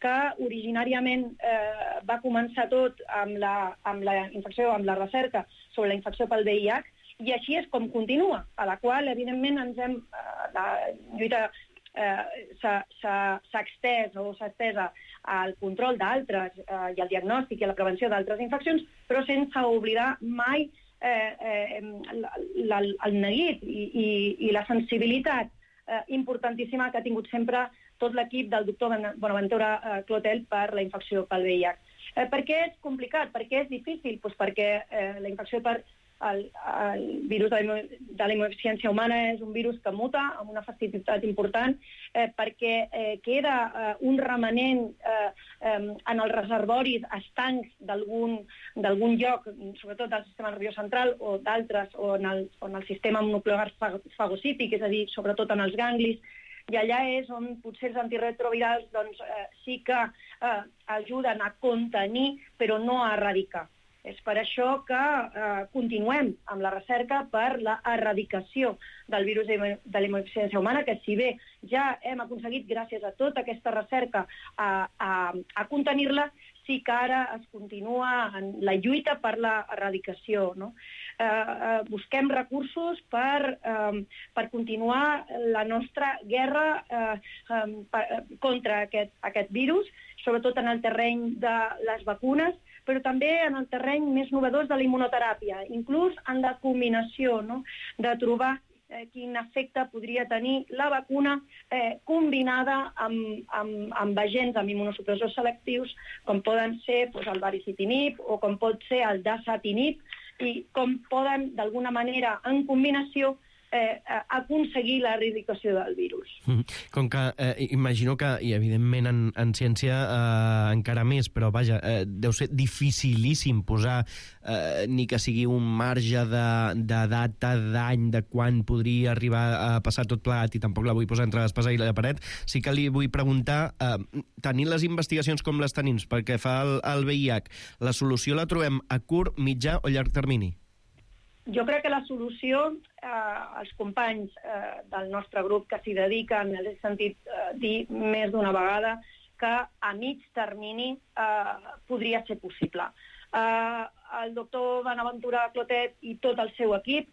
que originàriament eh, va començar tot amb la, amb la infecció, amb la recerca sobre la infecció pel V I H, i així és com continua, a la qual, evidentment, ens hem, eh, la lluita eh, s'ha extès o s'ha estesa al control d'altres eh, i al diagnòstic i a la prevenció d'altres infeccions, però sense oblidar mai eh, eh, la, el neguit i, i, i la sensibilitat eh, importantíssima que ha tingut sempre tot l'equip del doctor Bonaventura eh, Clotel per la infecció pel V I H. Eh, per què és complicat? Per què és difícil? Pues perquè eh, la infecció per el, el virus de la, de la immunodeficiència humana és un virus que muta amb una facilitat important, eh, perquè eh, queda eh, un remanent eh, eh, en els reservoris estancs d'algun lloc, sobretot del sistema nerviós central o d'altres, o en el, o en el sistema mononuclear fagocític, és a dir, sobretot en els ganglis, i allà és on potser els antirretrovirals doncs, eh, sí que eh, ajuden a contenir, però no a erradicar. És per això que eh, continuem amb la recerca per la erradicació del virus de la immunodeficiència humana, que si bé ja hem aconseguit, gràcies a tota aquesta recerca, a, a, a contenir-la, sí que ara es continua en la lluita per la erradicació, no? Eh, eh, busquem recursos per, eh, per continuar la nostra guerra eh, eh, per, contra aquest, aquest virus, sobretot en el terreny de les vacunes, però també en el terreny més novedós de la immunoteràpia, inclús en la combinació, no? De trobar eh, quin efecte podria tenir la vacuna eh, combinada amb, amb, amb agents, amb immunosupressors selectius, com poden ser doncs, el baricitinib o com pot ser el dasatinib, i com poden, d'alguna manera, en combinació, Eh, aconseguir l'erradicació del virus. Com que eh, imagino que, i evidentment en, en ciència eh, encara més, però vaja, eh, deu ser dificilíssim posar eh, ni que sigui un marge de, de data, d'any, de quan podria arribar a passar tot plegat, i tampoc la vull posar entre l'espasa i la paret. Sí que li vull preguntar, eh, tenint les investigacions com les tenim perquè fa el, el V I H, la solució la trobem a curt, mitjà o llarg termini? Jo crec que la solució, eh, els companys eh, del nostre grup que s'hi dediquen, he sentit eh, dir més d'una vegada, que a mig termini eh, podria ser possible. Eh, el doctor Bonaventura Clotet i tot el seu equip,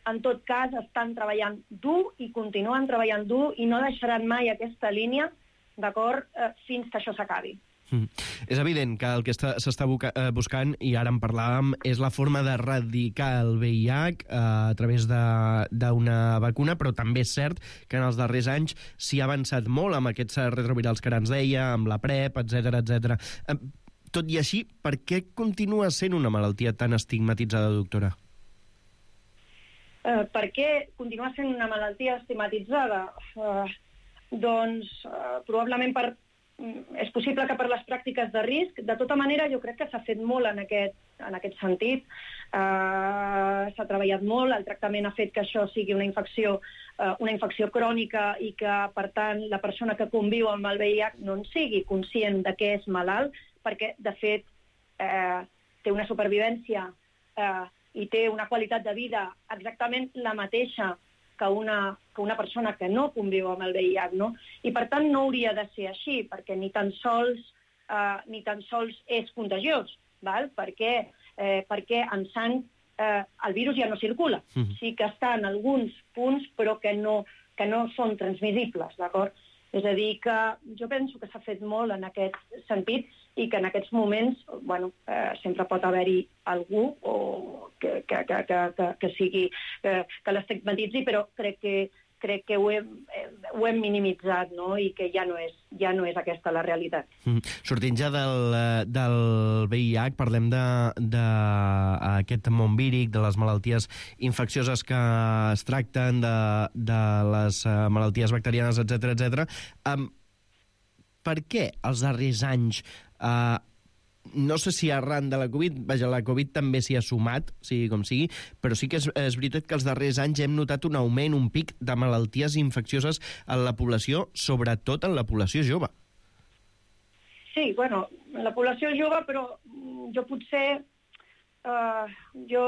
en tot cas, estan treballant dur i continuen treballant dur i no deixaran mai aquesta línia, d'acord, eh, fins que això s'acabi. Mm. És evident que el que s'està buscant, i ara en parlàvem, és la forma d'erradicar el V I H eh, a través d'una vacuna, però també és cert que en els darrers anys s'hi ha avançat molt amb aquests retrovirals que ara ens deia, amb la PrEP, etcètera, etcètera. Eh, tot i així, per què continua sent una malaltia tan estigmatitzada, doctora? Eh, per què continua sent una malaltia estigmatitzada? Eh, doncs, eh, probablement per és possible que per les pràctiques de risc. De tota manera, jo crec que s'ha fet molt en aquest, en aquest sentit. Uh, s'ha treballat molt, el tractament ha fet que això sigui una infecció, uh, una infecció crònica i que, per tant, la persona que conviu amb el V I H no en sigui conscient de què és malalt, perquè, de fet, uh, té una supervivència uh, i té una qualitat de vida exactament la mateixa que una, que una persona que no conviu amb el V I H, no? I per tant no hauria de ser així, perquè ni tan sols, eh, ni tan sols és contagiós, val? Perquè, eh, perquè en sang eh, el virus ja no circula. Mm-hmm. Sí que està en alguns punts, però que no, que no són transmissibles, d'acord? És a dir, que jo penso que s'ha fet molt en aquest sentit i que en aquests moments, bueno, eh, sempre pot haver-hi algú o que, que, que, que, que, que sigui, que, que l'estigmatitzi, però crec que, crec que ho hem, ho hem minimitzat, no? I que ja no és, ja no és aquesta la realitat. Mm. Sortint ja del, del V I H, parlem d'aquest món víric, de les malalties infeccioses que es tracten, de, de les malalties bacterianes, etcètera, etcètera. Um, per què els darrers anys, uh, no sé si arran de la Covid, vaja, la Covid també s'hi ha sumat, sigui com sigui, però sí que és, és veritat que els darrers anys hem notat un augment, un pic de malalties infeccioses en la població, sobretot en la població jove. Sí, bueno, en la població jove, però jo potser uh, jo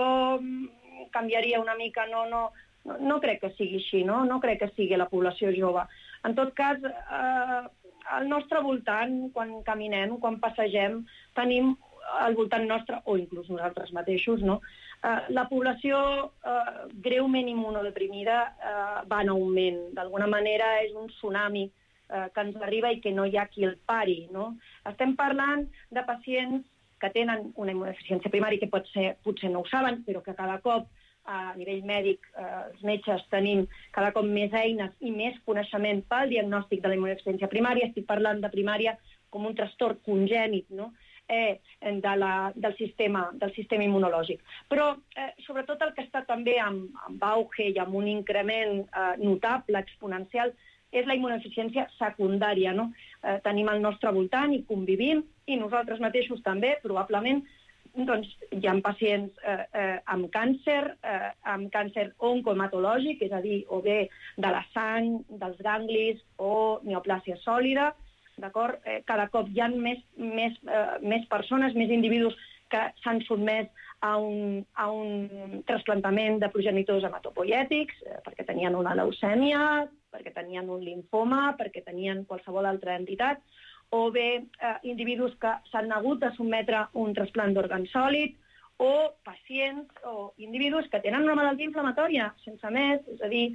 canviaria una mica, no, no, no, no crec que sigui així, no? No crec que sigui la població jove. En tot cas, eh, al nostre voltant, quan caminem, quan passegem, tenim al voltant nostre, o inclús nosaltres mateixos, no? Uh, la població uh, greument immunodeprimida uh, va en augment. D'alguna manera és un tsunami uh, que ens arriba i que no hi ha qui el pari, no? Estem parlant de pacients que tenen una immunodeficiència primària, que pot ser, potser no ho saben, però que cada cop a nivell mèdic, eh, els metges tenim cada cop més eines i més coneixement pel diagnòstic de la immunodeficiència primària. Estic parlant de primària com un trastorn congènit, no? eh, de la, del, sistema, del sistema immunològic. Però, eh, sobretot, el que està també amb, amb auge i amb un increment eh, notable, exponencial, és la immunodeficiència secundària, no? Eh, tenim al nostre voltant i convivim, i nosaltres mateixos també, probablement, doncs hi ha pacients eh, eh, amb càncer, eh, amb càncer oncohematològic, és a dir, o bé de la sang, dels ganglis, o neoplàsia sòlida, d'acord? Eh, cada cop hi ha més, més, eh, més persones, més individus que s'han sotmès a un, a un trasplantament de progenitors hematopoiètics, eh, perquè tenien una leucèmia, perquè tenien un linfoma, perquè tenien qualsevol altra entitat, o bé eh, individus que s'han hagut de sotmetre a un trasplant d'òrgan sòlid, o pacients o individus que tenen una malaltia inflamatòria, sense més, és a dir,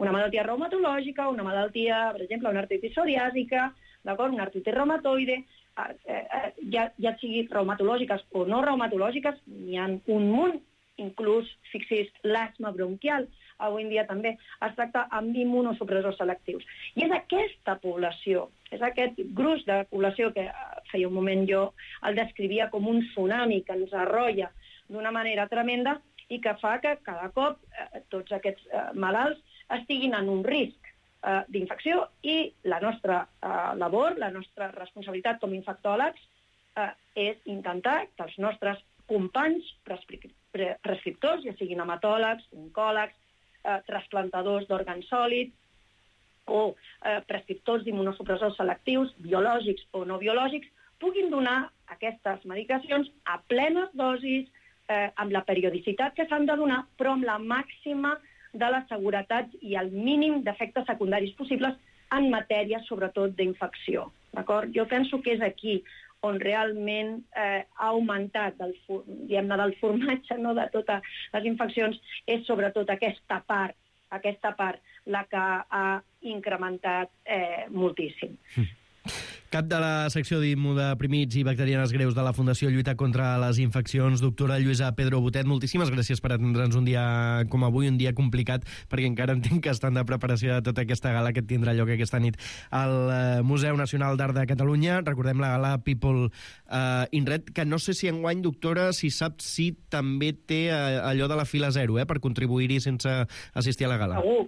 una malaltia reumatològica, una malaltia, per exemple, una artritis psoriàsica, d'acord, una artritis reumatoide, eh, eh, ja, ja sigui reumatològiques o no reumatològiques, n'hi ha un munt, inclús, fixi's, l'asma bronquial, avui en dia també es tracta amb immunosupressors selectius. I és aquesta població, és aquest gruix de població que feia un moment jo el descrivia com un tsunami que ens arrolla d'una manera tremenda i que fa que cada cop eh, tots aquests eh, malalts estiguin en un risc eh, d'infecció, i la nostra eh, labor, la nostra responsabilitat com a infectòlegs eh, és intentar que els nostres companys prescriptors, ja siguin hematòlegs, oncòlegs, eh, trasplantadors d'òrgan sòlid, o eh, prescriptors d'immunosupressors selectius, biològics o no biològics, puguin donar aquestes medicacions a plenes dosis, eh, amb la periodicitat que s'han de donar, però amb la màxima de la seguretat i el mínim d'efectes secundaris possibles en matèria, sobretot, d'infecció. D'acord? Jo penso que és aquí on realment eh, ha augmentat del, diguem-ne, del formatge, no, de totes les infeccions, és sobretot aquesta part, aquesta part la que ha incrementat eh, moltíssim. Cap de la secció d'immunodeprimits i bacterianes greus de la Fundació Lluita contra les Infeccions, doctora Lluïsa Pedro Botet, moltíssimes gràcies per atendre'ns un dia com avui, un dia complicat, perquè encara entenc que estan de preparació de tota aquesta gala que tindrà lloc aquesta nit al Museu Nacional d'Art de Catalunya. Recordem la gala People uh, in Red, que no sé si enguany, doctora, si sap si també té uh, allò de la fila zero, eh, per contribuir-hi sense assistir a la gala. Segur.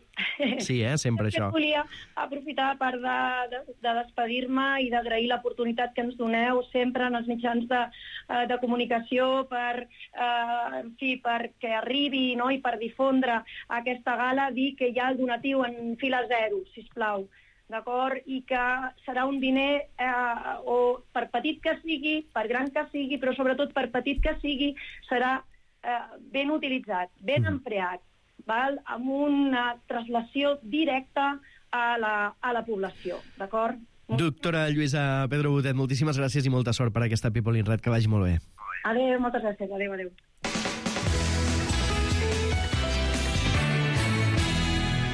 Sí, eh, sempre això. Volia aprofitar a part de, de, de despedir-me i d'agrair l'oportunitat que ens doneu sempre en els mitjans de, de comunicació per, eh, en fi, perquè arribi, no?, i per difondre aquesta gala, dir que hi ha el donatiu en fila zero, sisplau, d'acord? I que serà un diner, eh, o per petit que sigui, per gran que sigui, però sobretot per petit que sigui, serà eh, ben utilitzat, ben empleat, val? Amb una translació directa a la, a la població, d'acord? Doctora Lluïsa Pedro Botet, moltíssimes gràcies i molta sort per aquesta People in Red, que vagi molt bé. Adéu, moltes gràcies, adéu, adéu.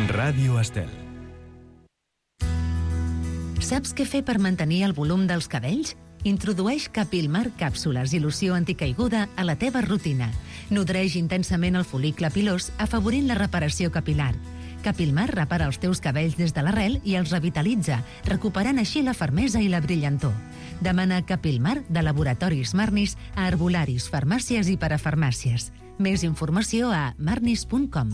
Ràdio Estel. Saps què fer per mantenir el volum dels cabells? Introdueix Capilmar càpsules i loció anticaiguda a la teva rutina. Nodreix intensament el fol·licle pilós, afavorint la reparació capilar. Capilmar repara els teus cabells des de l'arrel i els revitalitza, recuperant així la fermesa i la brillantor. Demana Capilmar de Laboratoris Marnis a herbolaris, farmàcies i parafarmàcies. Més informació a marnis punt com.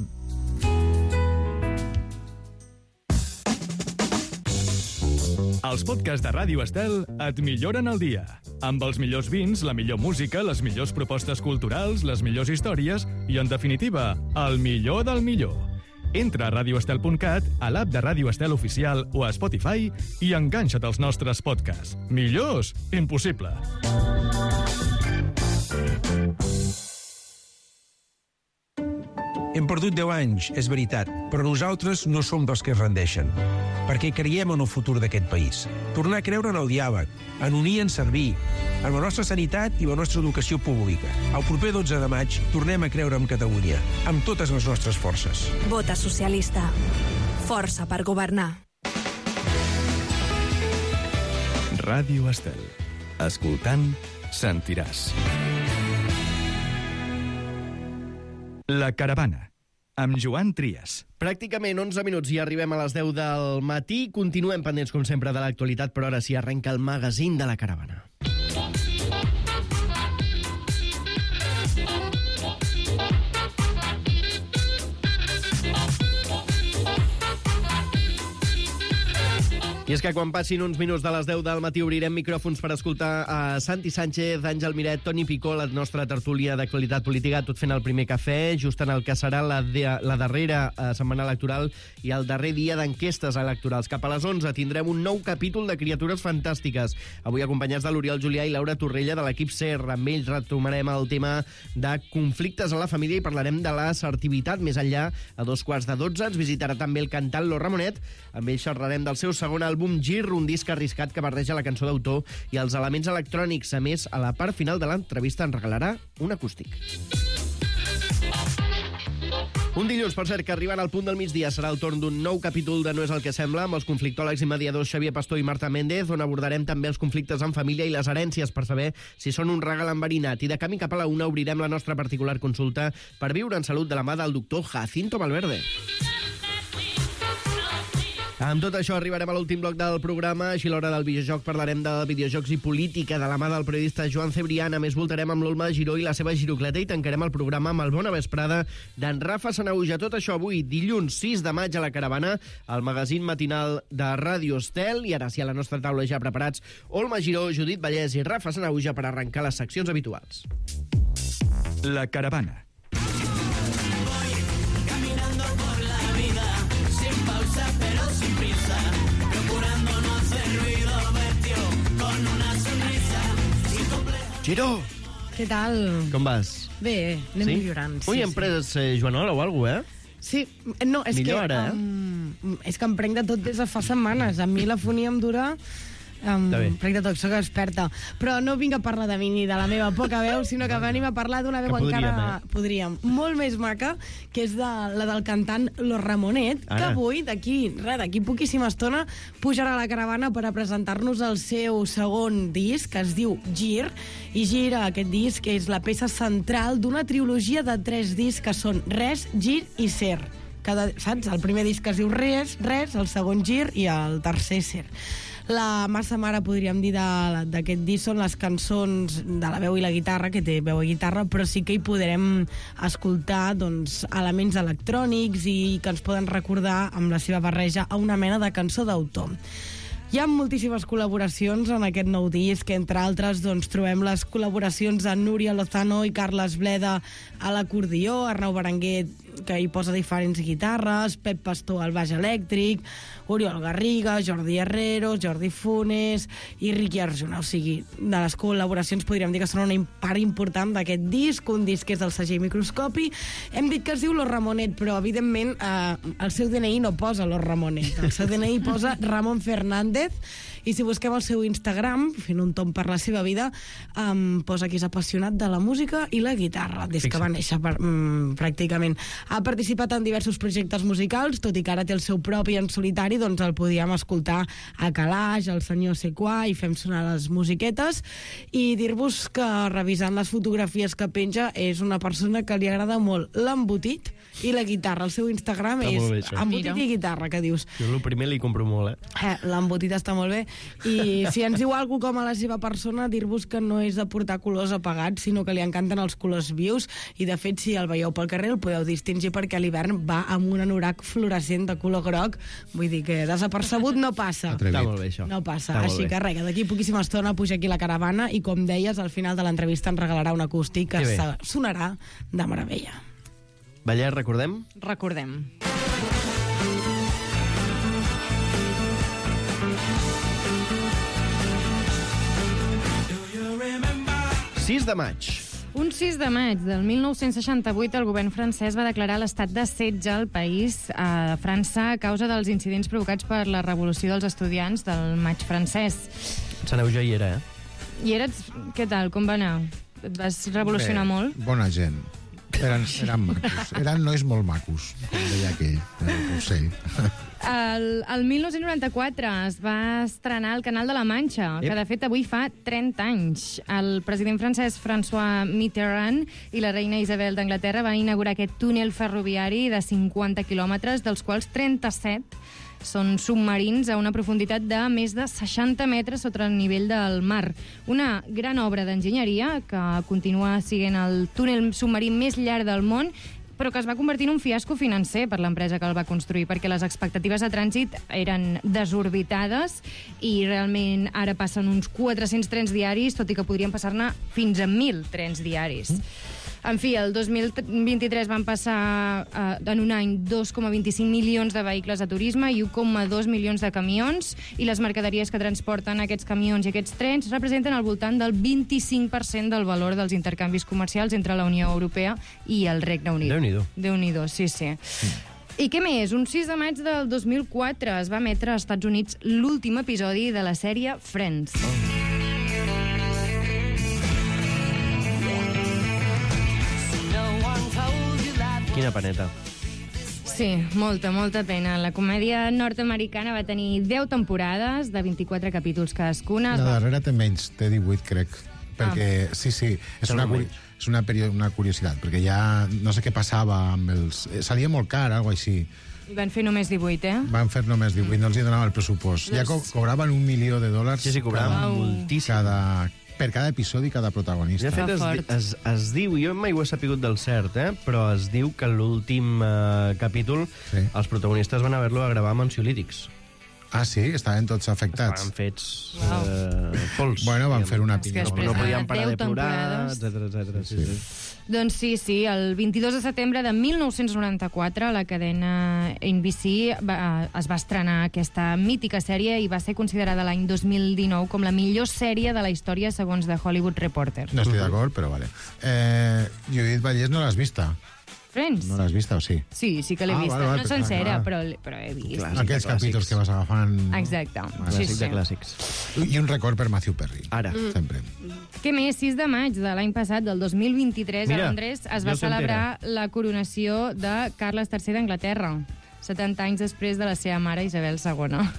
Els podcasts de Ràdio Estel et milloren el dia. Amb els millors vins, la millor música, les millors propostes culturals, les millors històries i, en definitiva, el millor del millor. Entra a radio estel punt cat, a l'app de Ràdio Estel Oficial o a Spotify i enganxa't als nostres podcasts. Millors? Impossible. Hem perdut deu anys, és veritat, però nosaltres no som dels que es rendeixen, perquè creiem en el futur d'aquest país. Tornar a creure en el diàleg, en unir i en servir, en la nostra sanitat i la nostra educació pública. El proper dotze de maig tornem a creure en Catalunya, amb totes les nostres forces. Vota socialista. Força per governar. Ràdio Estel. Escoltant, sentiràs. La Caravana, amb Joan Trias. Pràcticament onze minuts i arribem a les deu del matí. Continuem pendents, com sempre, de l'actualitat, però ara sí arrenca el magazín de La Caravana. I és que quan passin uns minuts de les deu del matí obrirem micròfons per escoltar a Santi Sánchez, Àngel Miret, Toni Picó, la nostra tertúlia d'actualitat política, tot fent el primer cafè, just en el que serà la, de, la darrera eh, setmana electoral i el darrer dia d'enquestes electorals. Cap a les onze tindrem un nou capítol de Criatures Fantàstiques. Avui acompanyats de l'Oriol Julià i Laura Torrella de l'equip SER. Amb ells retomarem el tema de conflictes a la família i parlarem de l'assertivitat més enllà. A dos quarts de dotze ens visitarà també el cantant Lo Ramonet. Amb ells xerrarem del seu segon àlbum Gir, un disc arriscat que barreja la cançó d'autor i els elements electrònics. A més, a la part final de l'entrevista ens regalarà un acústic. Un dilluns, per cert, que arribant al punt del migdia serà el torn d'un nou capítol de No és el que sembla, amb els conflictòlegs i mediadors Xavier Pastor i Marta Méndez, on abordarem també els conflictes en família i les herències per saber si són un regal enverinat. I de camí cap a la una obrirem la nostra particular consulta per viure en salut de la mà del doctor Jacinto Valverde. Amb tot això arribarem a l'últim bloc del programa. Així, a l'hora del videojoc parlarem de videojocs i política de la mà del periodista Joan Cebrián. A més, voltarem amb l'Olma de Giró i la seva girocleta i tancarem el programa amb el Bona Vesprada d'en Rafa Sanahuja. Tot això avui, dilluns sis de maig, a La Caravana, el magazín matinal de Ràdio Estel. I ara sí, a la nostra taula ja preparats Olma Giró, Judit Vallès i Rafa Sanahuja per arrencar les seccions habituals. La Caravana. Giró! Què tal? Com vas? Bé, anem sí? millorant. Sí, Ui, hem pres eh, Joanola o alguna cosa, eh? Sí, no, és Millor que... ara, eh? Um, és que em prenc de tot des de fa setmanes. A mi la fonia em dura... Um, prenc de tot, soc experta. Però no vinc a parlar de mi ni de la meva poca veu, sinó que venim a parlar d'una veu que podríem, encara... Eh? Podríem. Molt més maca, que és de, la del cantant Lo Ramonet, ara. Que avui, d'aquí res, d'aquí poquíssima estona, pujarà a La Caravana per a presentar-nos el seu segon disc, que es diu Gir, i Gira, aquest disc, és la peça central d'una trilogia de tres discs que són Res, Gir i Ser. Cada, saps? El primer disc es diu Res, Res, el segon Gir i el tercer Ser. La massa mare, podríem dir, d'aquest disc són les cançons de la veu i la guitarra, que té veu i guitarra, però sí que hi podrem escoltar doncs, elements electrònics i que ens poden recordar amb la seva barreja a una mena de cançó d'autor. Hi ha moltíssimes col·laboracions en aquest nou disc, entre altres doncs, trobem les col·laboracions de Núria Lozano i Carles Bleda a l'acordió, Arnau Berenguer, que hi posa diferents guitarres, Pep Pastor al baix elèctric, Oriol Garriga, Jordi Herrero, Jordi Funes i Riqui Arjona. O sigui, de les col·laboracions podríem dir que són una part important d'aquest disc, un disc que és del segell Microscopi. Hem dit que es diu Lo Ramonet, però evidentment eh, el seu D N I no posa Lo Ramonet, el seu D N I posa Ramon Fernández, i si busquem el seu Instagram, fent un tom per la seva vida, um, posa que és apassionat de la música i la guitarra, des que va néixer per, um, pràcticament. Ha participat en diversos projectes musicals, tot i que ara té el seu propi en solitari, doncs el podíem escoltar a Calaix, al senyor Sequà, i fem sonar les musiquetes, i dir-vos que revisant les fotografies que penja és una persona que li agrada molt l'embotit i la guitarra. El seu Instagram està és bé, embotit i guitarra, que dius. Jo el primer li compro molt, eh? eh l'embotit està molt bé. I si ens diu alguna com a la seva persona, dir-vos que no és de portar colors apagats, sinó que li encanten els colors vius, i de fet, si el veieu pel carrer el podeu distingir perquè a l'hivern va amb un anorac fluorescent de color groc, vull dir que desapercebut no passa. Està molt bé, això. No passa, Està així que res, d'aquí poquíssima estona puja aquí La Caravana i, com deies, al final de l'entrevista ens regalarà un acústic que Que sonarà de meravella. Vallès, recordem? Recordem. sis de maig. Un sis de maig del mil nou-cents seixanta-vuit, el govern francès va declarar l'estat de setge al país a França a causa dels incidents provocats per la revolució dels estudiants del maig francès. Saneu ja hi era, eh? I eres... Què tal? Com va anar? Et vas revolucionar Bé, molt? Bona gent. Eren, eren macos. Eren nois molt macos, com deia aquell, el ocell. El, el mil nou-cents noranta-quatre es va estrenar el Canal de la Manxa, Ep. que de fet avui fa trenta anys. El president francès François Mitterrand i la reina Isabel d'Anglaterra van inaugurar aquest túnel ferroviari de cinquanta quilòmetres, dels quals trenta-set són submarins a una profunditat de més de seixanta metres sota el nivell del mar. Una gran obra d'enginyeria que continua sent el túnel submarí més llarg del món, però que es va convertir en un fiasco financer per l'empresa que el va construir, perquè les expectatives de trànsit eren desorbitades i realment ara passen uns quatre-cents trens diaris, tot i que podrien passar-ne fins a mil trens diaris. En fi, el dos mil vint-i-tres van passar eh, en un any dos coma vint-i-cinc milions de vehicles de turisme i un coma dos milions de camions, i les mercaderies que transporten aquests camions i aquests trens representen al voltant del vint-i-cinc per cent del valor dels intercanvis comercials entre la Unió Europea i el Regne Unit. Déu-n'hi-do. Déu-n'hi-do, sí, sí. I què més? Un sis de maig del dos mil quatre es va emetre als Estats Units l'últim episodi de la sèrie Friends. Oh. Quina paneta. Sí, molta, molta pena. La comèdia nord-americana va tenir deu temporades de vint-i-quatre capítols cadascuna. La darrera té menys, té divuit, crec. Perquè, ah. sí, sí, és una, curi és una, una curiositat, perquè ja no sé què passava amb els... Salia molt car, alguna cosa així. I van fer només divuit, eh? Van fer només divuit, no els hi donava el pressupost. Ja co cobraven un milió de dòlars sí, sí, cobraven moltíssim. Cada, per cada episodi, cada protagonista. De fet, es, es, es diu, jo mai ho he sapigut del cert, eh? Però es diu que l'últim eh, capítol sí. els protagonistes van haver-lo a gravar amb ansiolítics. Ah, sí? Estaven tots afectats? Estaven fets wow. eh, pols. Bueno, van fer una pinya. No, no podien parar de plorar, etcètera, etcètera. Sí, sí. Sí. Doncs sí, sí, el vint-i-dos de setembre de mil nou-cents noranta-quatre la cadena N B C va, es va estrenar aquesta mítica sèrie i va ser considerada l'any dos mil dinou com la millor sèrie de la història segons The Hollywood Reporter. No estic d'acord, però vale. Eh, Judit Vallès no l'has vista? Friends? No l'has vista, o sí? Sí, sí que l'he ah, vista. Vale, vale, no sencera, clar. però, però he vist. Clàssic Aquells capítols que vas agafant... Exacte. Clàssic sí, de sí. clàssics. I un record per Matthew Perry. Ara. Mm. Sempre. Què més? sis de maig de l'any passat, del dos mil vint-i-tres, Mira, a Londres, es va celebrar la coronació de Carles tercer d'Anglaterra, setanta anys després de la seva mare Isabel segona.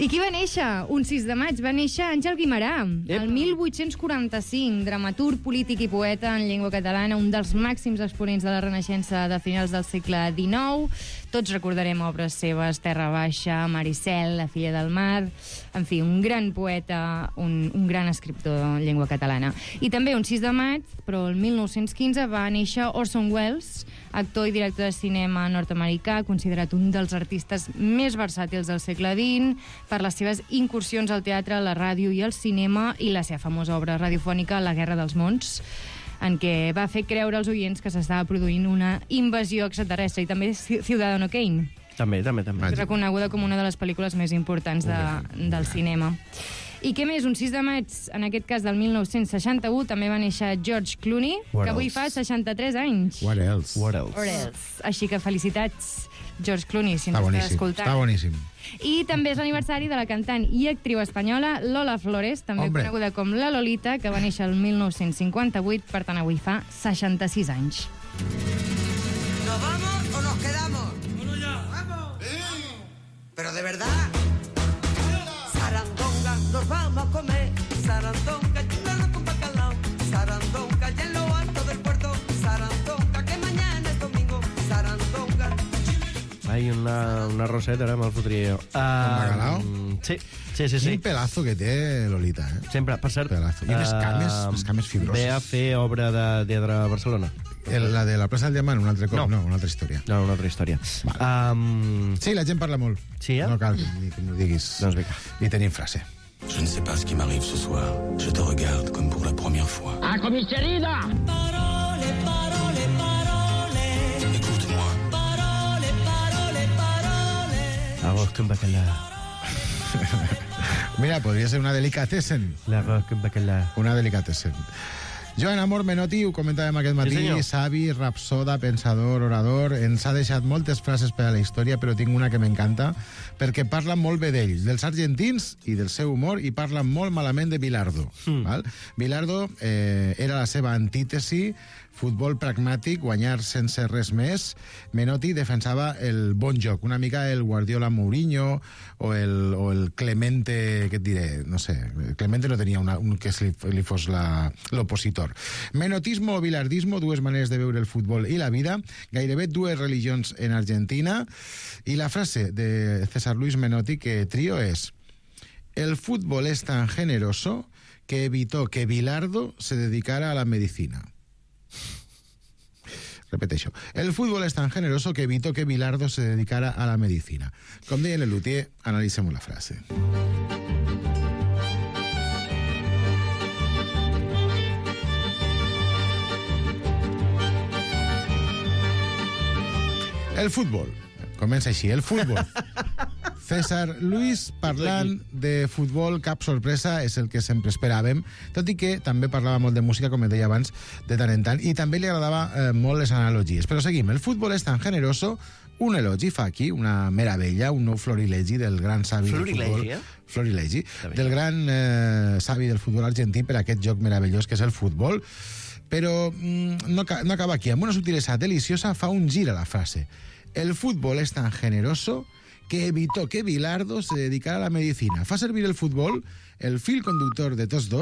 I qui va néixer? Un sis de maig va néixer Àngel Guimerà, Ep. el mil vuit-cents quaranta-cinc, dramaturg, polític i poeta en llengua catalana, un dels màxims exponents de la Renaixença de finals del segle dinou. Tots recordarem obres seves, Terra Baixa, Maricel, La filla del mar... En fi, un gran poeta, un, un gran escriptor en llengua catalana. I també un sis de maig, però el mil nou-cents quinze, va néixer Orson Welles, actor i director de cinema nord-americà, considerat un dels artistes més versàtils del segle vint, per les seves incursions al teatre, la ràdio i el cinema, i la seva famosa obra radiofònica La guerra dels mons, en què va fer creure als oients que s'estava produint una invasió extraterrestre, i també Ciudadano Kane. També, també, també. Reconeguda com una de les pel·lícules més importants de, del cinema. I què més? Un sis de maig, en aquest cas del mil nou-cents seixanta-u, també va néixer George Clooney, What que avui else? fa seixanta-tres anys. What else? What else? What else? Així que felicitats, George Clooney, si Està ens estàs boníssim, escoltant. està boníssim. I també és l'aniversari de la cantant i actriu espanyola Lola Flores, també Hombre. coneguda com la Lolita, que va néixer el mil nou-cents cinquanta-vuit, per tant avui fa seixanta-sis anys. ¿Nos vamos o nos quedamos? Bueno, ya. ¡Vamos! Sí. Pero de verdad. Sarandonga, nos vamos a comer. Sarandonga, chulano con bacalao. Sarandonga, y en lo alto del puerto. Sarandonga, que mañana es domingo. Sarandonga. Ai, una, una roseta, ara me'l fotria jo. Uh, bacalao? Sí, sí, sí. sí. Quin pelazo que té Lolita, eh? Sempre, per cert... Pelazo. I unes cames, uh, unes cames fibroses. Ve a fer obra de teatre a Barcelona. El, la de la plaça del Diamant, un altre cop? No, no una altra història. No, una altra història. Vale. Um... Sí, la gent parla molt. Sí, eh? No cal que, que m'ho diguis. Doncs vinga. I tenim frase. Je ne sais pas ce qui m'arrive ce soir. Je te regarde comme pour la première fois. ¡A comisaría! Parole, parole, parole. Écoute-moi. Parole, parole, parole. Arroz con bacalao. Mira, podria ser una delicatessen. L'arroz con bacalao. Una delicatessen. Joan Amor Menotti, ho comentàvem aquest matí, Sí, savi, rapsoda, pensador, orador, ens ha deixat moltes frases per a la història, però tinc una que m'encanta, perquè parla molt bé d'ell, dels argentins i del seu humor, i parla molt malament de Bilardo. Mm. Val? Bilardo eh, era la seva antítesi, futbol pragmàtic, guanyar sense res més. Menotti defensava el bon joc, una mica el Guardiola Mourinho o el, o el Clemente, què et diré, no sé, Clemente no tenia una, un que li, li fos l'opositor. Menotismo o bilardismo, dues maneres de veure el futbol i la vida, gairebé dues religions en Argentina, i la frase de César Luis Menotti que trio és: el fútbol es tan generoso que evitó que Bilardo se dedicara a la medicina. Repeteixo. El fútbol es tan generoso que evitó que Bilardo se dedicara a la medicina. Com deia Lelutier, analicemos la frase. El futbol. Comença així. El futbol. César Luis parlant de futbol, cap sorpresa, és el que sempre esperàvem, tot i que també parlava molt de música, com et deia abans, de tant en tant, i també li agradava eh, molt les analogies. Però seguim. El futbol és tan generoso, un elogi fa aquí, una meravella, un nou florilegi del gran savi del futbol. Florilegi, eh? Florilegi. Del gran eh, savi del futbol argentí per aquest joc meravellós que és el futbol. Però mm, no, no acaba aquí. Amb una sutilesa deliciosa fa un gir a la frase. El fútbol es tan generoso que evitó que Bilardo se dedicara a la medicina. Fa servir el futbol, el fil conductor de tots dos,